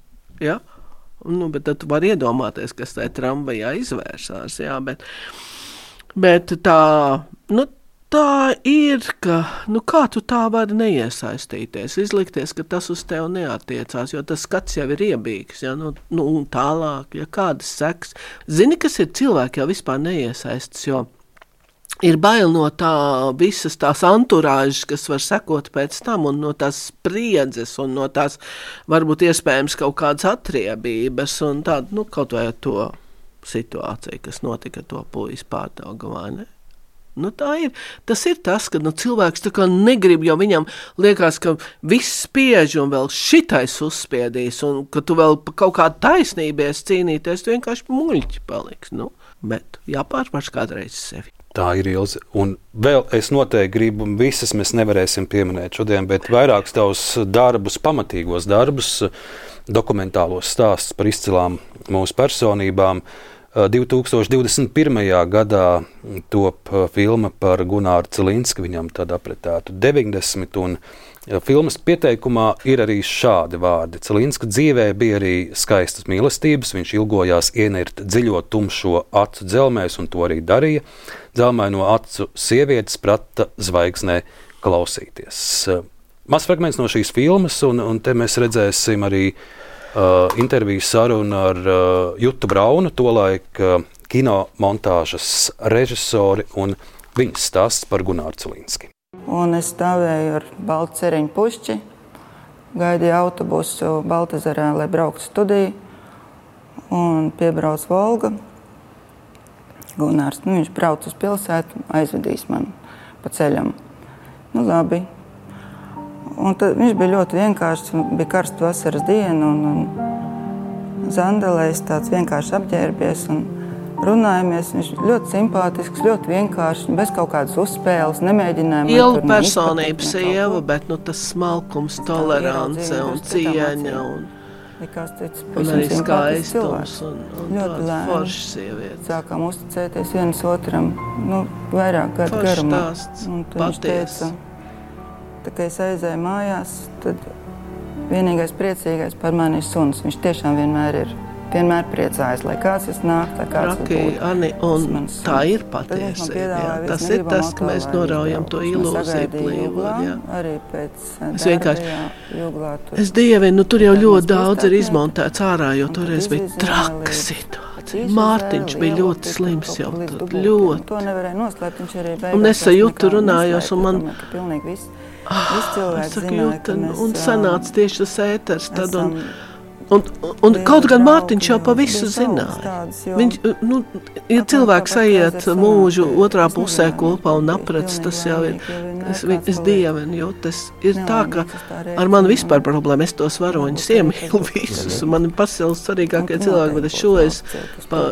ja? Nu, bet tad tu vari iedomāties, kas tajā tramvajā izvērsās, jā, bet, bet tā, nu, tā ir, ka, nu, kā tu tā vari neiesaistīties, izlikties, ka tas uz tevi neatiecās, jo tas skats jau ir iebīgs, jā, nu, nu, un tālāk, ja kādas seks. Zini, kas ir cilvēki jau vispār neiesaistas, jo ir bail no tā visas tās anturāžas, kas var sekot pēc tam, un no tās spriedzes, un no tās varbūt iespējams kaut kādas atriebības, un tādu, nu, kaut vai to situāciju, kas notika to puisi Pārdaugavā, ne? Nu, tā ir. Tas ir tas, ka nu, cilvēks tā kā negrib, jo viņam liekas, ka viss spiež un vēl šitais uzspiedīs, un ka tu vēl pa kaut kādu taisnībies cīnīties, tu vienkārši muļķi paliks, nu, bet jāpārvarš kādreiz sevi. Tā ir Ilze. Un vēl es noteikti gribu, visas mēs nevarēsim pieminēt šodien, bet vairākus tavus darbus, pamatīgos darbus, dokumentālos stāstus par izcilām mūsu personībām. divi tūkstoši divdesmit pirmajā gadā top filma par Gunāru Cilinski, viņam tad apretētu deviņdesmit, un filmas pieteikumā ir arī šādi vārdi. Cilinska dzīvē bija arī skaistas mīlestības, viņš ilgojās ienirt dziļo tumšo acu dzelmēs, un to arī darīja. Dzelmaino acu sievietes prata zvaigznē klausīties. Mazs fragments no šīs filmas, un, un te mēs redzēsim arī uh, interviju sarunu ar uh, Jutu Braunu, tolaik uh, kino montāžas režisori, un viņas stāsts par Gunāru Cilinski. Un es stāvēju ar baltu ceriņu pušķi, gaidīju autobusu Baltezerā, lai brauktu studiju, un piebrauc Volga. Gunārs, nu, viņš brauc uz pilsētu, aizvedīs man pa ceļam. Nu, labi. Un tad viņš bija ļoti vienkāršs, bija karsta vasaras diena, un, un zandelējs tāds vienkārši apģērbies, un runājamies. Viņš ļoti simpātisks, ļoti vienkāršs, bez kaut kādas uzspēles, nemēģinājuma. Liela personība sieva, bet nu, tas smalkums, tolerance un cieņa un, un arī skaistums un, un tāda forša sieviete. Sākām uzticēties viens otram, nu, vairāk gadu garumā. Un tad viņš teica, tā kā es aizēju mājās, tad vienīgais priecīgais par mani ir suns. Viņš tiešām vienmēr ir. Vienmēr priecājas, lai kāds es nāk, lai kāds Raki, būtu. Ani, un tā ir patiesība. Tas ir tas, ka mēs noraujam to ilūziju plīvot. Arī pēc es vienkārši, jūglā tur. Es dievinu, nu tur jau ļoti daudz ir izmontēts ārā, jo toreiz bija traka situācija. Mārtiņš bija ļoti slims jau tad, ļoti. To nevarēja noslēpt, viņš arī beigās. Un es sajūtu runājos, un man... Pilnīgi viss, ah, viss cilvēks saku, zināja, ka mēs... Un sanāca tieši tas ēters tad, un... Un, un kaut gan Mārtiņš jau pa visu zināja. Viņš, nu, ja cilvēks aiziet mūžu otrā pusē kopā un aprec, tas jau ir, es, es dievinu, jo tas ir tā, ka ar mani vispār problēma, es tos varoņus iemīlu visus, un man ir pasaules svarīgākie cilvēki, bet es šo es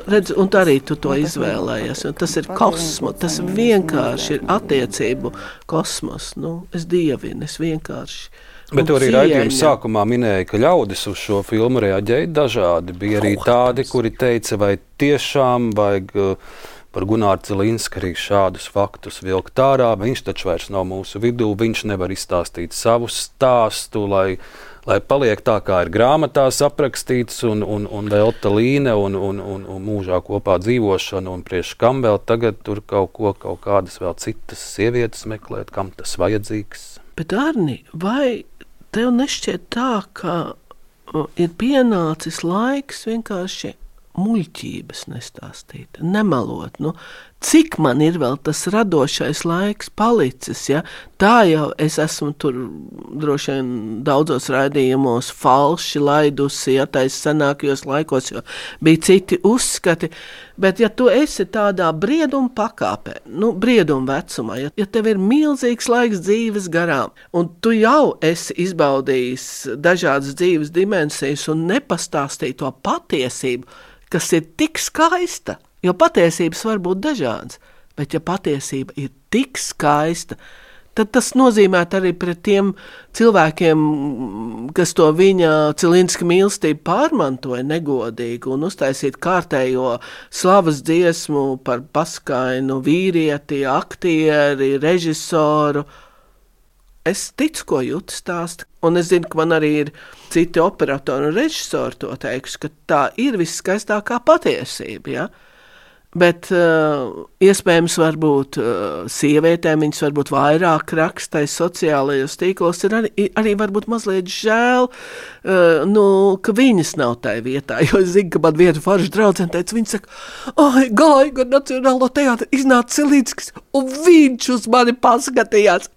redzu, un arī tu to izvēlējies, un tas ir kosmos, tas vienkārši ir attiecību kosmos, nu, es dievinu, es vienkārši. Bet tu arī raidījuma sākumā minēja, ka ļaudis uz šo filmu reaģēja dažādi. Bija arī tādi, kuri teica, vai tiešām vajag par Gunāru Celinsku arī šādus faktus vilkt ārā. Viņš taču vairs nav mūsu vidū, viņš nevar izstāstīt savu stāstu, lai, lai paliek tā, kā ir grāmatās aprakstīts, un, un, un velta līne, un, un, un, un mūžā kopā dzīvošana, un priekš kam vēl tagad tur kaut ko, kaut kādas vēl citas sievietes meklēt, kam tas vajadzīgs. Bet, Arni, vai tev nešķiet tā, ka ir pienācis laiks vienkārši muļķības nestāstīt, nemelot? Nu, cik man ir vēl tas radošais laiks palicis, ja? Tā jau es esmu tur droši vien daudzos raidījumos falši laidusi, ja tais senākajos laikos, jo bija citi uzskati, bet ja tu esi tādā brieduma pakāpē, nu, brieduma vecumā, ja, ja tev ir milzīgs laiks dzīves garām, un tu jau esi izbaudījis dažādas dzīves dimensijas un nepastāstīji to patiesību, kas ir tik skaista, jo patiesības var būt dažādas, bet ja patiesība ir tik skaista, tad tas nozīmē arī pret tiem cilvēkiem, kas to viņa Celinska mīlestību pārmantoja negodīgi un uztaisīt kārtējo slavas dziesmu par paskainu vīrieti, aktieri, režisoru. Es ticu, ko jūtas stāsta, un es zinu, ka man arī ir citi operatori un režisori to teikuši, ka tā ir viskaistākā patiesība, ja? Bet uh, iespējams varbūt uh, sievietēm viņas varbūt vairāk rakstais sociālajos tīklos, ir arī, arī varbūt mazliet žēl, uh, nu, ka viņas nav tai vietā, jo es zinu, ka man viena forša draudzene teica, viņa saka, ai, gāju, gan Nacionālo teātri iznāca Celinskis, un viņš uz mani paskatījās.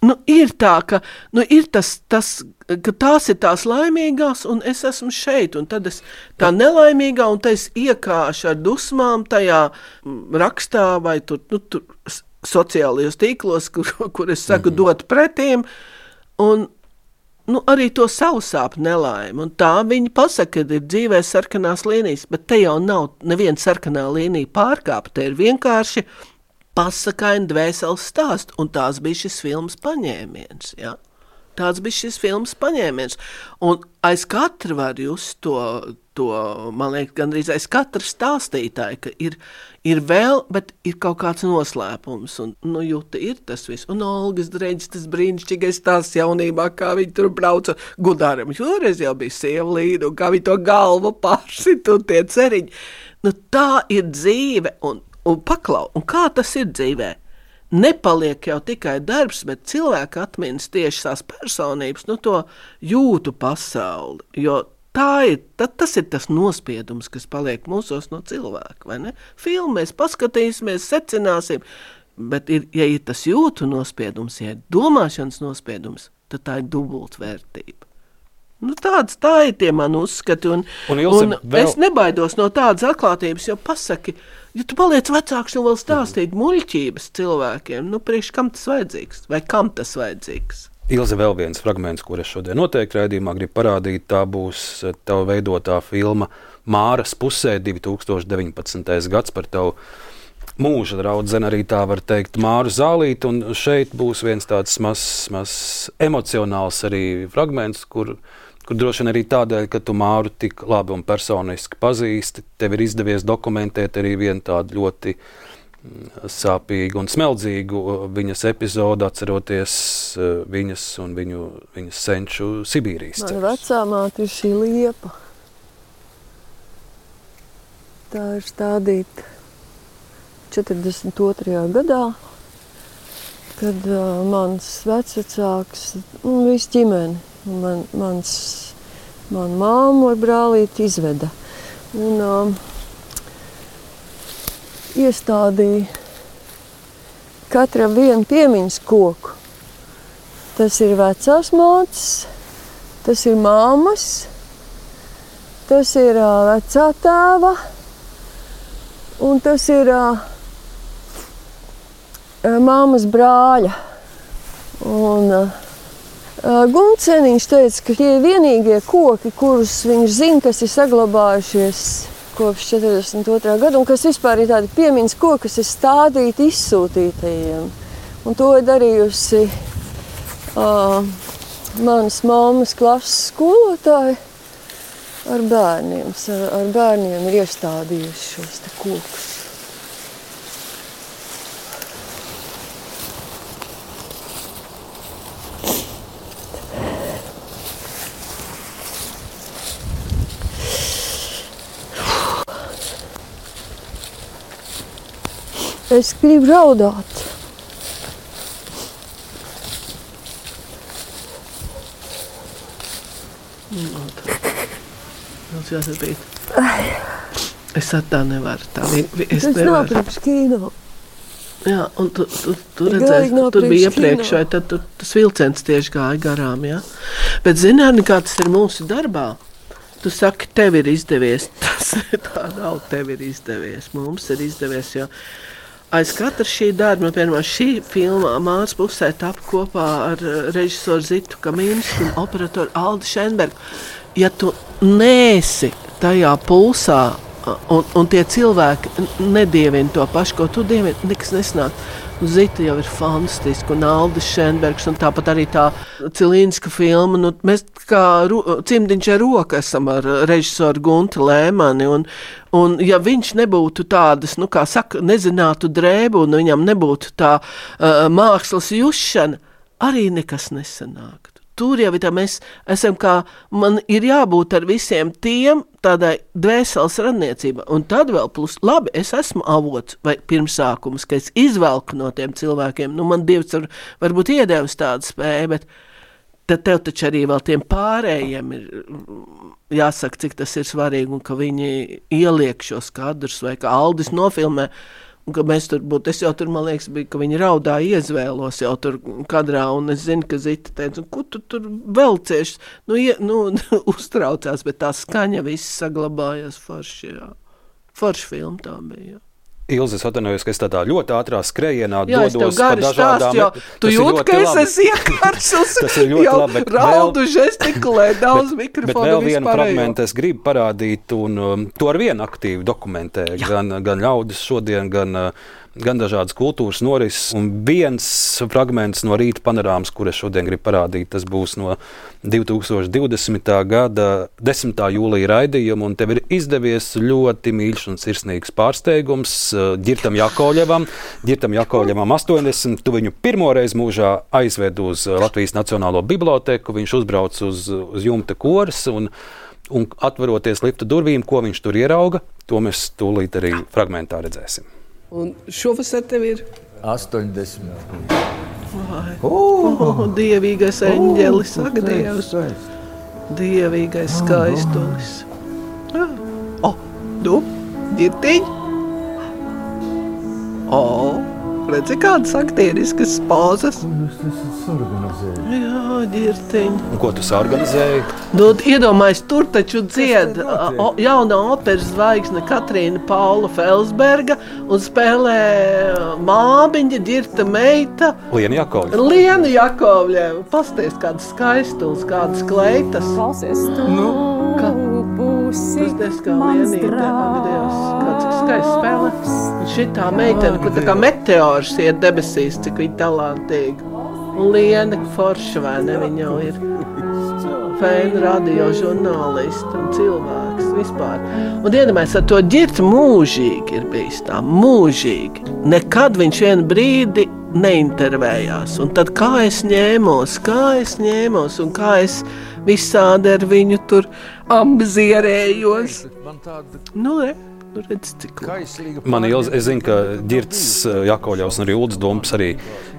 Nu, ir tā, ka nu, ir tas, tas, ka tās ir tās laimīgās, un es esmu šeit, un tad es tā nelaimīgā, un tad es iekāšu ar dusmām tajā rakstā vai tur, nu, tur sociālajos tīklos, kur, kur es saku mm-hmm. dot pretīm, un nu, arī to savu sāpu nelaimi, un tā viņi pasaka, ka ir dzīvē sarkanās līnijas, bet te jau nav neviena sarkanā līnija pārkāpta, te ir vienkārši pasakaini dvēseles stāst, un tās bija šis filmas paņēmiens, ja? Tāds bija šis filmas paņēmiens, un aiz katra var just to, to, man liekas, gandrīz aiz katra stāstītāja, ka ir, ir vēl, bet ir kaut kāds noslēpums, un, nu, jūta ir tas viss, un Olgas Dreģis, tas brīnišķīgais stāsts jaunībā, kā viņi tur brauca Gudāram, šoreiz jau bija sieva līda, un kā viņi to galvu pārsit, un tie ceriņi, nu, tā ir dzīve, un Un paklau, un kā tas ir dzīvē? Nepaliek jau tikai darbs, bet cilvēki atminas tieši tās personības, nu to jūtu pasauli, jo tā ir, tad tas ir tas nospiedums, kas paliek mūsos no cilvēka, vai ne? Filmu mēs paskatīsimies, secināsim, bet ir, ja ir tas jūtu nospiedums, ja ir domāšanas nospiedums, tad tā ir dubultvērtība. Nu, tāds, tā ir tie man uzskati, un, un, un vēl... es nebaidos no tādas atklātības, jo pasaki, ja tu paliec vecāks un vēl stāstīt mm. muļķības cilvēkiem, nu, priekš kam tas vajadzīgs, vai kam tas vajadzīgs? Ilze, vēl viens fragments, kur es šodien noteikti raidījumā gribu parādīt, tā būs tava veidotā filma Māras pusē, divi tūkstoši deviņpadsmitais gads par tavu mūža draudzeni, arī tā var teikt, Māru Zālīti, un šeit būs viens tāds mazs, mazs emocionāls arī fragments, kur, kur droši vien arī tādēļ, ka tu Māru tik labi un personiski pazīsti, tev ir izdevies dokumentēt arī vienu tādu ļoti sāpīgu un smeldzīgu viņas epizodu, atceroties viņas un viņu, viņas senču Sibīrijas ceļus. Mana vecā māte ir šī liepa. Tā ir stādīta četrdesmit otrajā gadā, kad uh, mans vecvecāks, un viss ģimeni, man, mans, man māmu ar brālīti izveda. Un, uh, iestādīja katram vienu piemiņas koku. Tas ir vecās mātes, tas ir māmas, tas ir uh, vecā tēva, un tas ir uh, māmas brāļa. Un uh, Gunceniņš teica, ka tie ir vienīgie koki, kurus viņš zina, kas ir saglabājušies kopš četrdesmit otrā gada, un kas vispār ir tādi piemiņas koki, kas ir stādīti izsūtītajiem. Un to ir darījusi uh, manas mammas klases skolotāji ar bērniem. Ar, ar bērniem ir iestādījuši šos te kokus. Es gribu raudāt. Mums jāsabīt. Es ar tā nevaru. Tā, es tas nav priekš kīno. Jā, un tu, tu, tu redzēsi, ka tur bija iepriekš, vai tad tu, tas vilciens tieši gāja garām, jā. Bet zināni, kā tas ir mūsu darbā? Tu saki, tev ir izdevies. Tas tā nav, tev ir izdevies. Mums ir izdevies, jo aiz katra šī darba, piemēram, šī filma Māras pusē tapa kopā ar režisoru Zitu Kamīnsku un operatoru Aldi Šenbergu. Ja tu neesi tajā pulsā un, un tie cilvēki nedievina to pašu, ko tu dievini, nekas nesnāk. Zita jau ir fantastiska, un Aldis Šenbergs, un tāpat arī tā Cilīnska filma. Nu, mēs kā ro, cimdiņš ar roku esam ar režisoru Gunti Lēmani, un, un ja viņš nebūtu tādas, nu kā saka, nezinātu drēbu, un viņam nebūtu tā uh, mākslas jušana, arī nekas nesanāktu. Tur jau ir tā, mēs esam kā, man ir jābūt ar visiem tiem tādai dvēseles radniecība. Un tad vēl plus, labi, es esmu avots vai pirmsākums, ka es izvelku no tiem cilvēkiem. Nu, man Dievs var, varbūt iedevis tādu spēju, bet tad tev taču arī vēl tiem pārējiem ir jāsaka, cik tas ir svarīgi, un ka viņi ieliek šos kadrus, vai ka Aldis nofilmē, un ka mēs tur būtu, es jau tur, man liekas, bija, ka viņi raudā iezvēlos jau tur kadrā, un es zinu, ka Zita teica, un ko tu tur velcies, nu, ie, nu uztraucās, bet tā skaņa viss saglabājās forši, jā. Forši filma tā bija, jā. Ilze, es atvainojos, ka es tādā ļoti ātrā skrējienā jā, dodos pa dažādām... Jā, tu jūt, ka es esmu iekāršus, jau labi, raudu, žestikulē, daudz mikrofonu, bet vēl vienu fragmentu es gribu parādīt, un um, to ar vienu aktīvi dokumentē, gan, gan ļaudis šodien, gan, gan dažādas kultūras norises, un viens fragments no rīta panorāmas, kur es šodien gribu parādīt, tas būs no divi tūkstoši divdesmitā gada desmitā jūlija raidījuma, un tev ir izdevies ļoti mīļš un sirsnīgs pārsteigums Ģirtam Jakovļevam. Ģirtam Jakovļevam astoņdesmit, tu viņu pirmoreiz mūžā aizved uz Latvijas Nacionālo biblioteku, viņš uzbrauc uz, uz jumta koras, un, un atveroties lifta durvīm, ko viņš tur ierauga, to mēs tūlīt arī fragmentā redzēsim. Un šovasar tev ir? astoņdesmit. Vai. Oh, oh, dievīgais eņģelis, oh, ak, Dievs. Dievīgais skaistulis. O, oh, nu, ģirtiņ. O, oh, redzi, kādas aktieriskas pozas. Jūs esat organizējuši. Jā, ģirtiņ. Un ko tu organizēji? Nu, iedomājies, tur taču dzied o, jaunā operas zvaigzne Katrīna Paula Felsberga un spēlē māmiņa, Ģirta meita. Liena Jakovļeva. Liena Jakovļeva. Pasties, kādas skaistulas, kādas kleitas. Klausies, tu nu, ka... Tas diezgan lienīte, Dievs, kāds skaists spēle. Un šitā meitene, kur tā kā meteors iet debesīs, cik viņa talantīgi. Un liena forša, vai ne, viņa jau ir fēna radio žurnālisti un cilvēks vispār. Un iedomājies, ar to Ģirtu mūžīgi ir bijis tā, mūžīgi. Nekad viņš vienu brīdi neintervējās. Un tad kā es ņēmos, kā es ņēmos un kā es visādi ar viņu tur ambizierējos. Nu, re, nu redz, cik Man Ilze, es zinu, ka Ģirts Jakovļevs un arī Ulds Dumps arī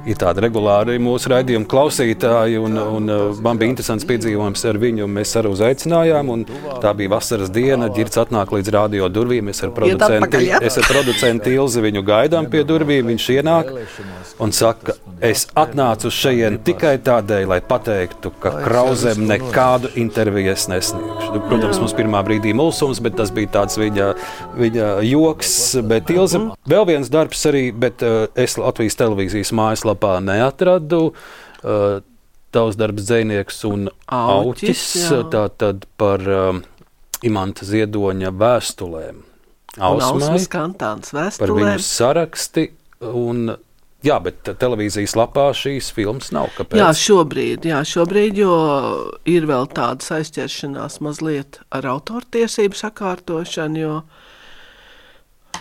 ir tādi regulāri mūsu raidījumu klausītāji, un, un man bija interesants piedzīvojums ar viņu, mēs arī uzaicinājām, un tā bija vasaras diena, Ģirts atnāk līdz radio durvīm, es ar producenti, es ar producenti Ilzi viņu gaidām pie durvīm, viņš ienāk un saka, es atnācu uz šejien tikai tādēļ, lai pateiktu, ka Krauzem nekādu interviju es nesniegšu. Protams, mums pirmā brīdī mulsums, bet tas bija tāds viņa, viņa joks, bet Ilze, vēl viens darbs arī, bet uh, es Latvijas televīzijas mājaslapā neatradu. Uh, tavs darbs Dzejnieks un Auķis, tā tad par um, Imanta Ziedoņa vēstulēm. Ausmas Kantāns vēstulēm. Par viņu saraksti un... Jā, bet televīzijas lapā šīs filmas nav. Kāpēc? Jā, šobrīd, jā, šobrīd, jo ir vēl tādas aizķeršanās mazliet ar autortiesību sakārtošanu, jo,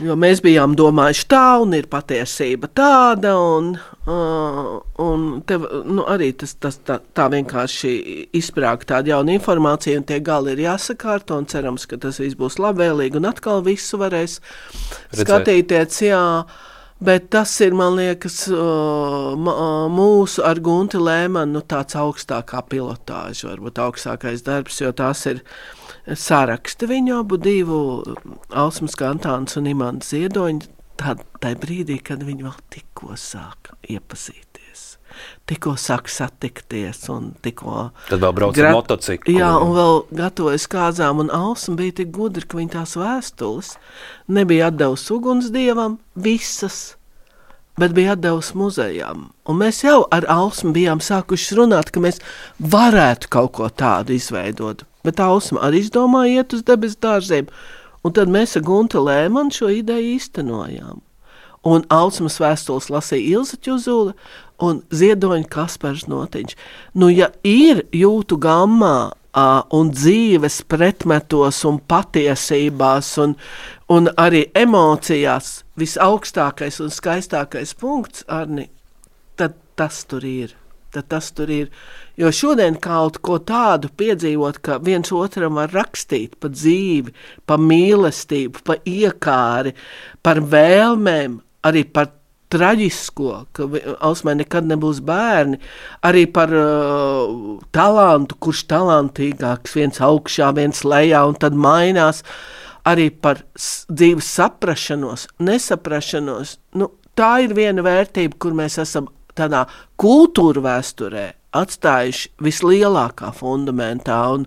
jo mēs bijām domājuši tā, un ir patiesība tāda, un, uh, un tev, nu, arī tas, tas, tā, tā vienkārši izsprāg tāda jauna informācija, un tie gali ir jāsakārto, un cerams, ka tas viss būs labvēlīgi, un atkal visu varēs Redzēt. skatīties, jā. Bet tas ir, man liekas, mūsu ar Gunti Lēmanu nu, tāds augstākā pilotāža, varbūt augstākais darbs, jo tās ir saraksti viņu abu divu, Ausmas Kantāns un Imants Ziedoņi, tādā brīdī, kad viņi vēl tikko sāk iepazīties, tikko sāk satikties un tikko... Tad vēl brauc ar motociklu. Jā, un vēl gatavojas kāzām, un Ausma bija tik gudri, ka viņa tās vēstules nebija atdevusi ugunsdievam visas, bet bija atdevusi muzejām. Un mēs jau ar Ausmu bijām sākuši runāt, ka mēs varētu kaut ko tādu izveidot. Bet Ausma arī izdomāja iet uz debesu dārziem. Un tad mēs ar Gunti Lēmanu šo ideju īstenojām. Un Ausmas vēstules lasīja Ilze Ķuzule un Ziedoņa Kaspars Notiņš. Nu, ja ir jūtu gammā un dzīves pretmetos un patiesībās un, un arī emocijās visaugstākais un skaistākais punkts, Arni, tad tas tur ir. Tad tas tur ir. Jo šodien kaut ko tādu piedzīvot, ka viens otram var rakstīt pa dzīvi, pa mīlestību, pa iekāri, par vēlmēm, arī par traģisko, ka Ausmai nekad nebūs bērni, arī par uh, talantu, kurš talantīgāks, viens augšā, viens lejā, un tad mainās, arī par dzīves saprašanos, nesaprašanos. Nu, tā ir viena vērtība, kur mēs esam tādā kultūra vēsturē atstājuši vislielākā fundamentā, un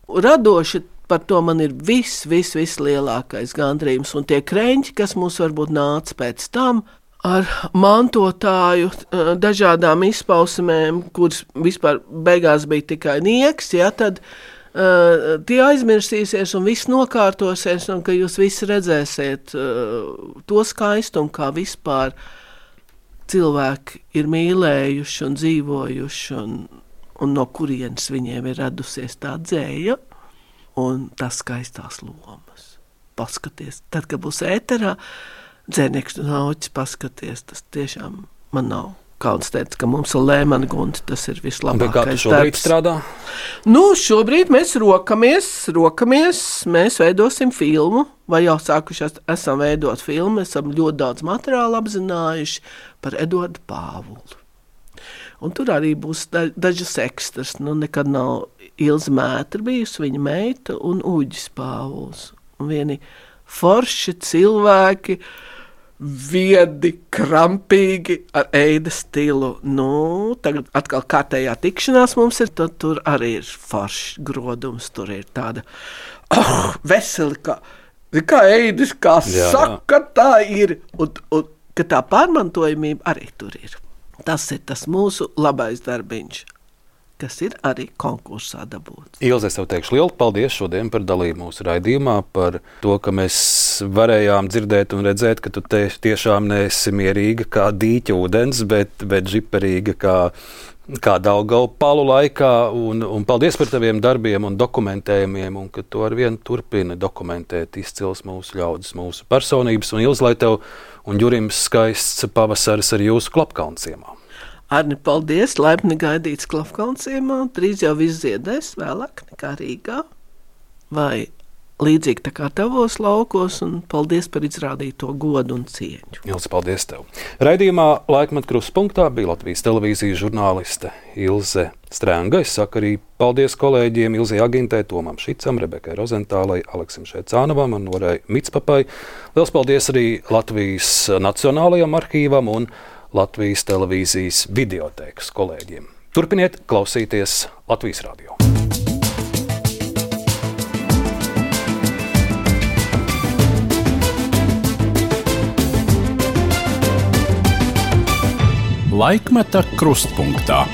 radoši par to man ir viss, viss, viss lielākais gandrījums, un tie kreņķi, kas mums varbūt nāca pēc tam, ar mantotāju dažādām izpausmēm, kuras vispār beigās bija tikai nieks, ja, tad uh, tie aizmirsīsies un viss nokārtosies, un ka jūs visi redzēsiet uh, to skaistumu, kā vispār cilvēki ir mīlējuši un dzīvojuši, un, un no kurienes viņiem ir radusies tā dzēja un tās skaistās lomas. Paskaties, tad, kad būs ēterā, Dzejnieks un Auķis, paskaties, tas tiešām man nav kauns teica, ka mums ir Lēmana Gunti, tas ir vislabākais darbs. Bet kā tu šobrīd darbs. strādā? Nu, šobrīd mēs rokamies, rokamies, mēs veidosim filmu, vai jau sākuši esam veidot filmu, esam ļoti daudz materiālu apzinājuši par Eduardu Pāvulu. Un tur arī būs dažas ekstras, nu nekad nav Ilze Mētra bijusi, viņa meita un Uģis Pāvuls. Un vieni forši cilvēki, viedi, krampīgi, ar eida stilu. Nu, tagad atkal kārtējā tikšanās mums ir, tad tur arī ir foršs grodums, tur ir tāda oh, veseli, kā, kā eidis, kā jā, saka, jā. Tā ir, un, un ka tā pārmantojamība arī tur ir. Tas ir tas mūsu labais darbiņš, kas ir arī konkursā dabūts. Ilze, es tev teikšu lielu paldies šodien par dalību mūsu raidījumā, par to, ka mēs varējām dzirdēt un redzēt, ka tu te tiešām neesi mierīga kā dīķa ūdens, bet, bet žiperīga kā, kā Daugavpalu laikā. Un, un paldies par taviem darbiem un dokumentējumiem, un ka tu ar vienu turpini dokumentēt izcils mūsu ļaudis, mūsu personības. Un Ilze, lai tev un Jurim skaists pavasaris ar jūsu Klapkalnciemā. Arni, paldies, laipni gaidīts Klapkalnciemā, drīz jau viss ziedēs, vēlāk nekā Rīgā, vai līdzīgi tā kā tavos laukos, un paldies par izrādīto godu un cieņu. Ilze, paldies tev. Raidījumā Laikmeta Krustpunktā bija Latvijas televīzijas žurnāliste Ilze Strenga. Es saku arī paldies kolēģiem Ilzei Agintei, Tomam Šicam, Rebekai Rozentālai, Aleksim Šēcānovam un Norai Mitspapai. Liels paldies arī Latvijas Nacionālajam arhīvam un Latvijas televīzijas videotēkas kolēģiem. Turpiniet klausīties Latvijas radio. Laikmeta Krustpunktā.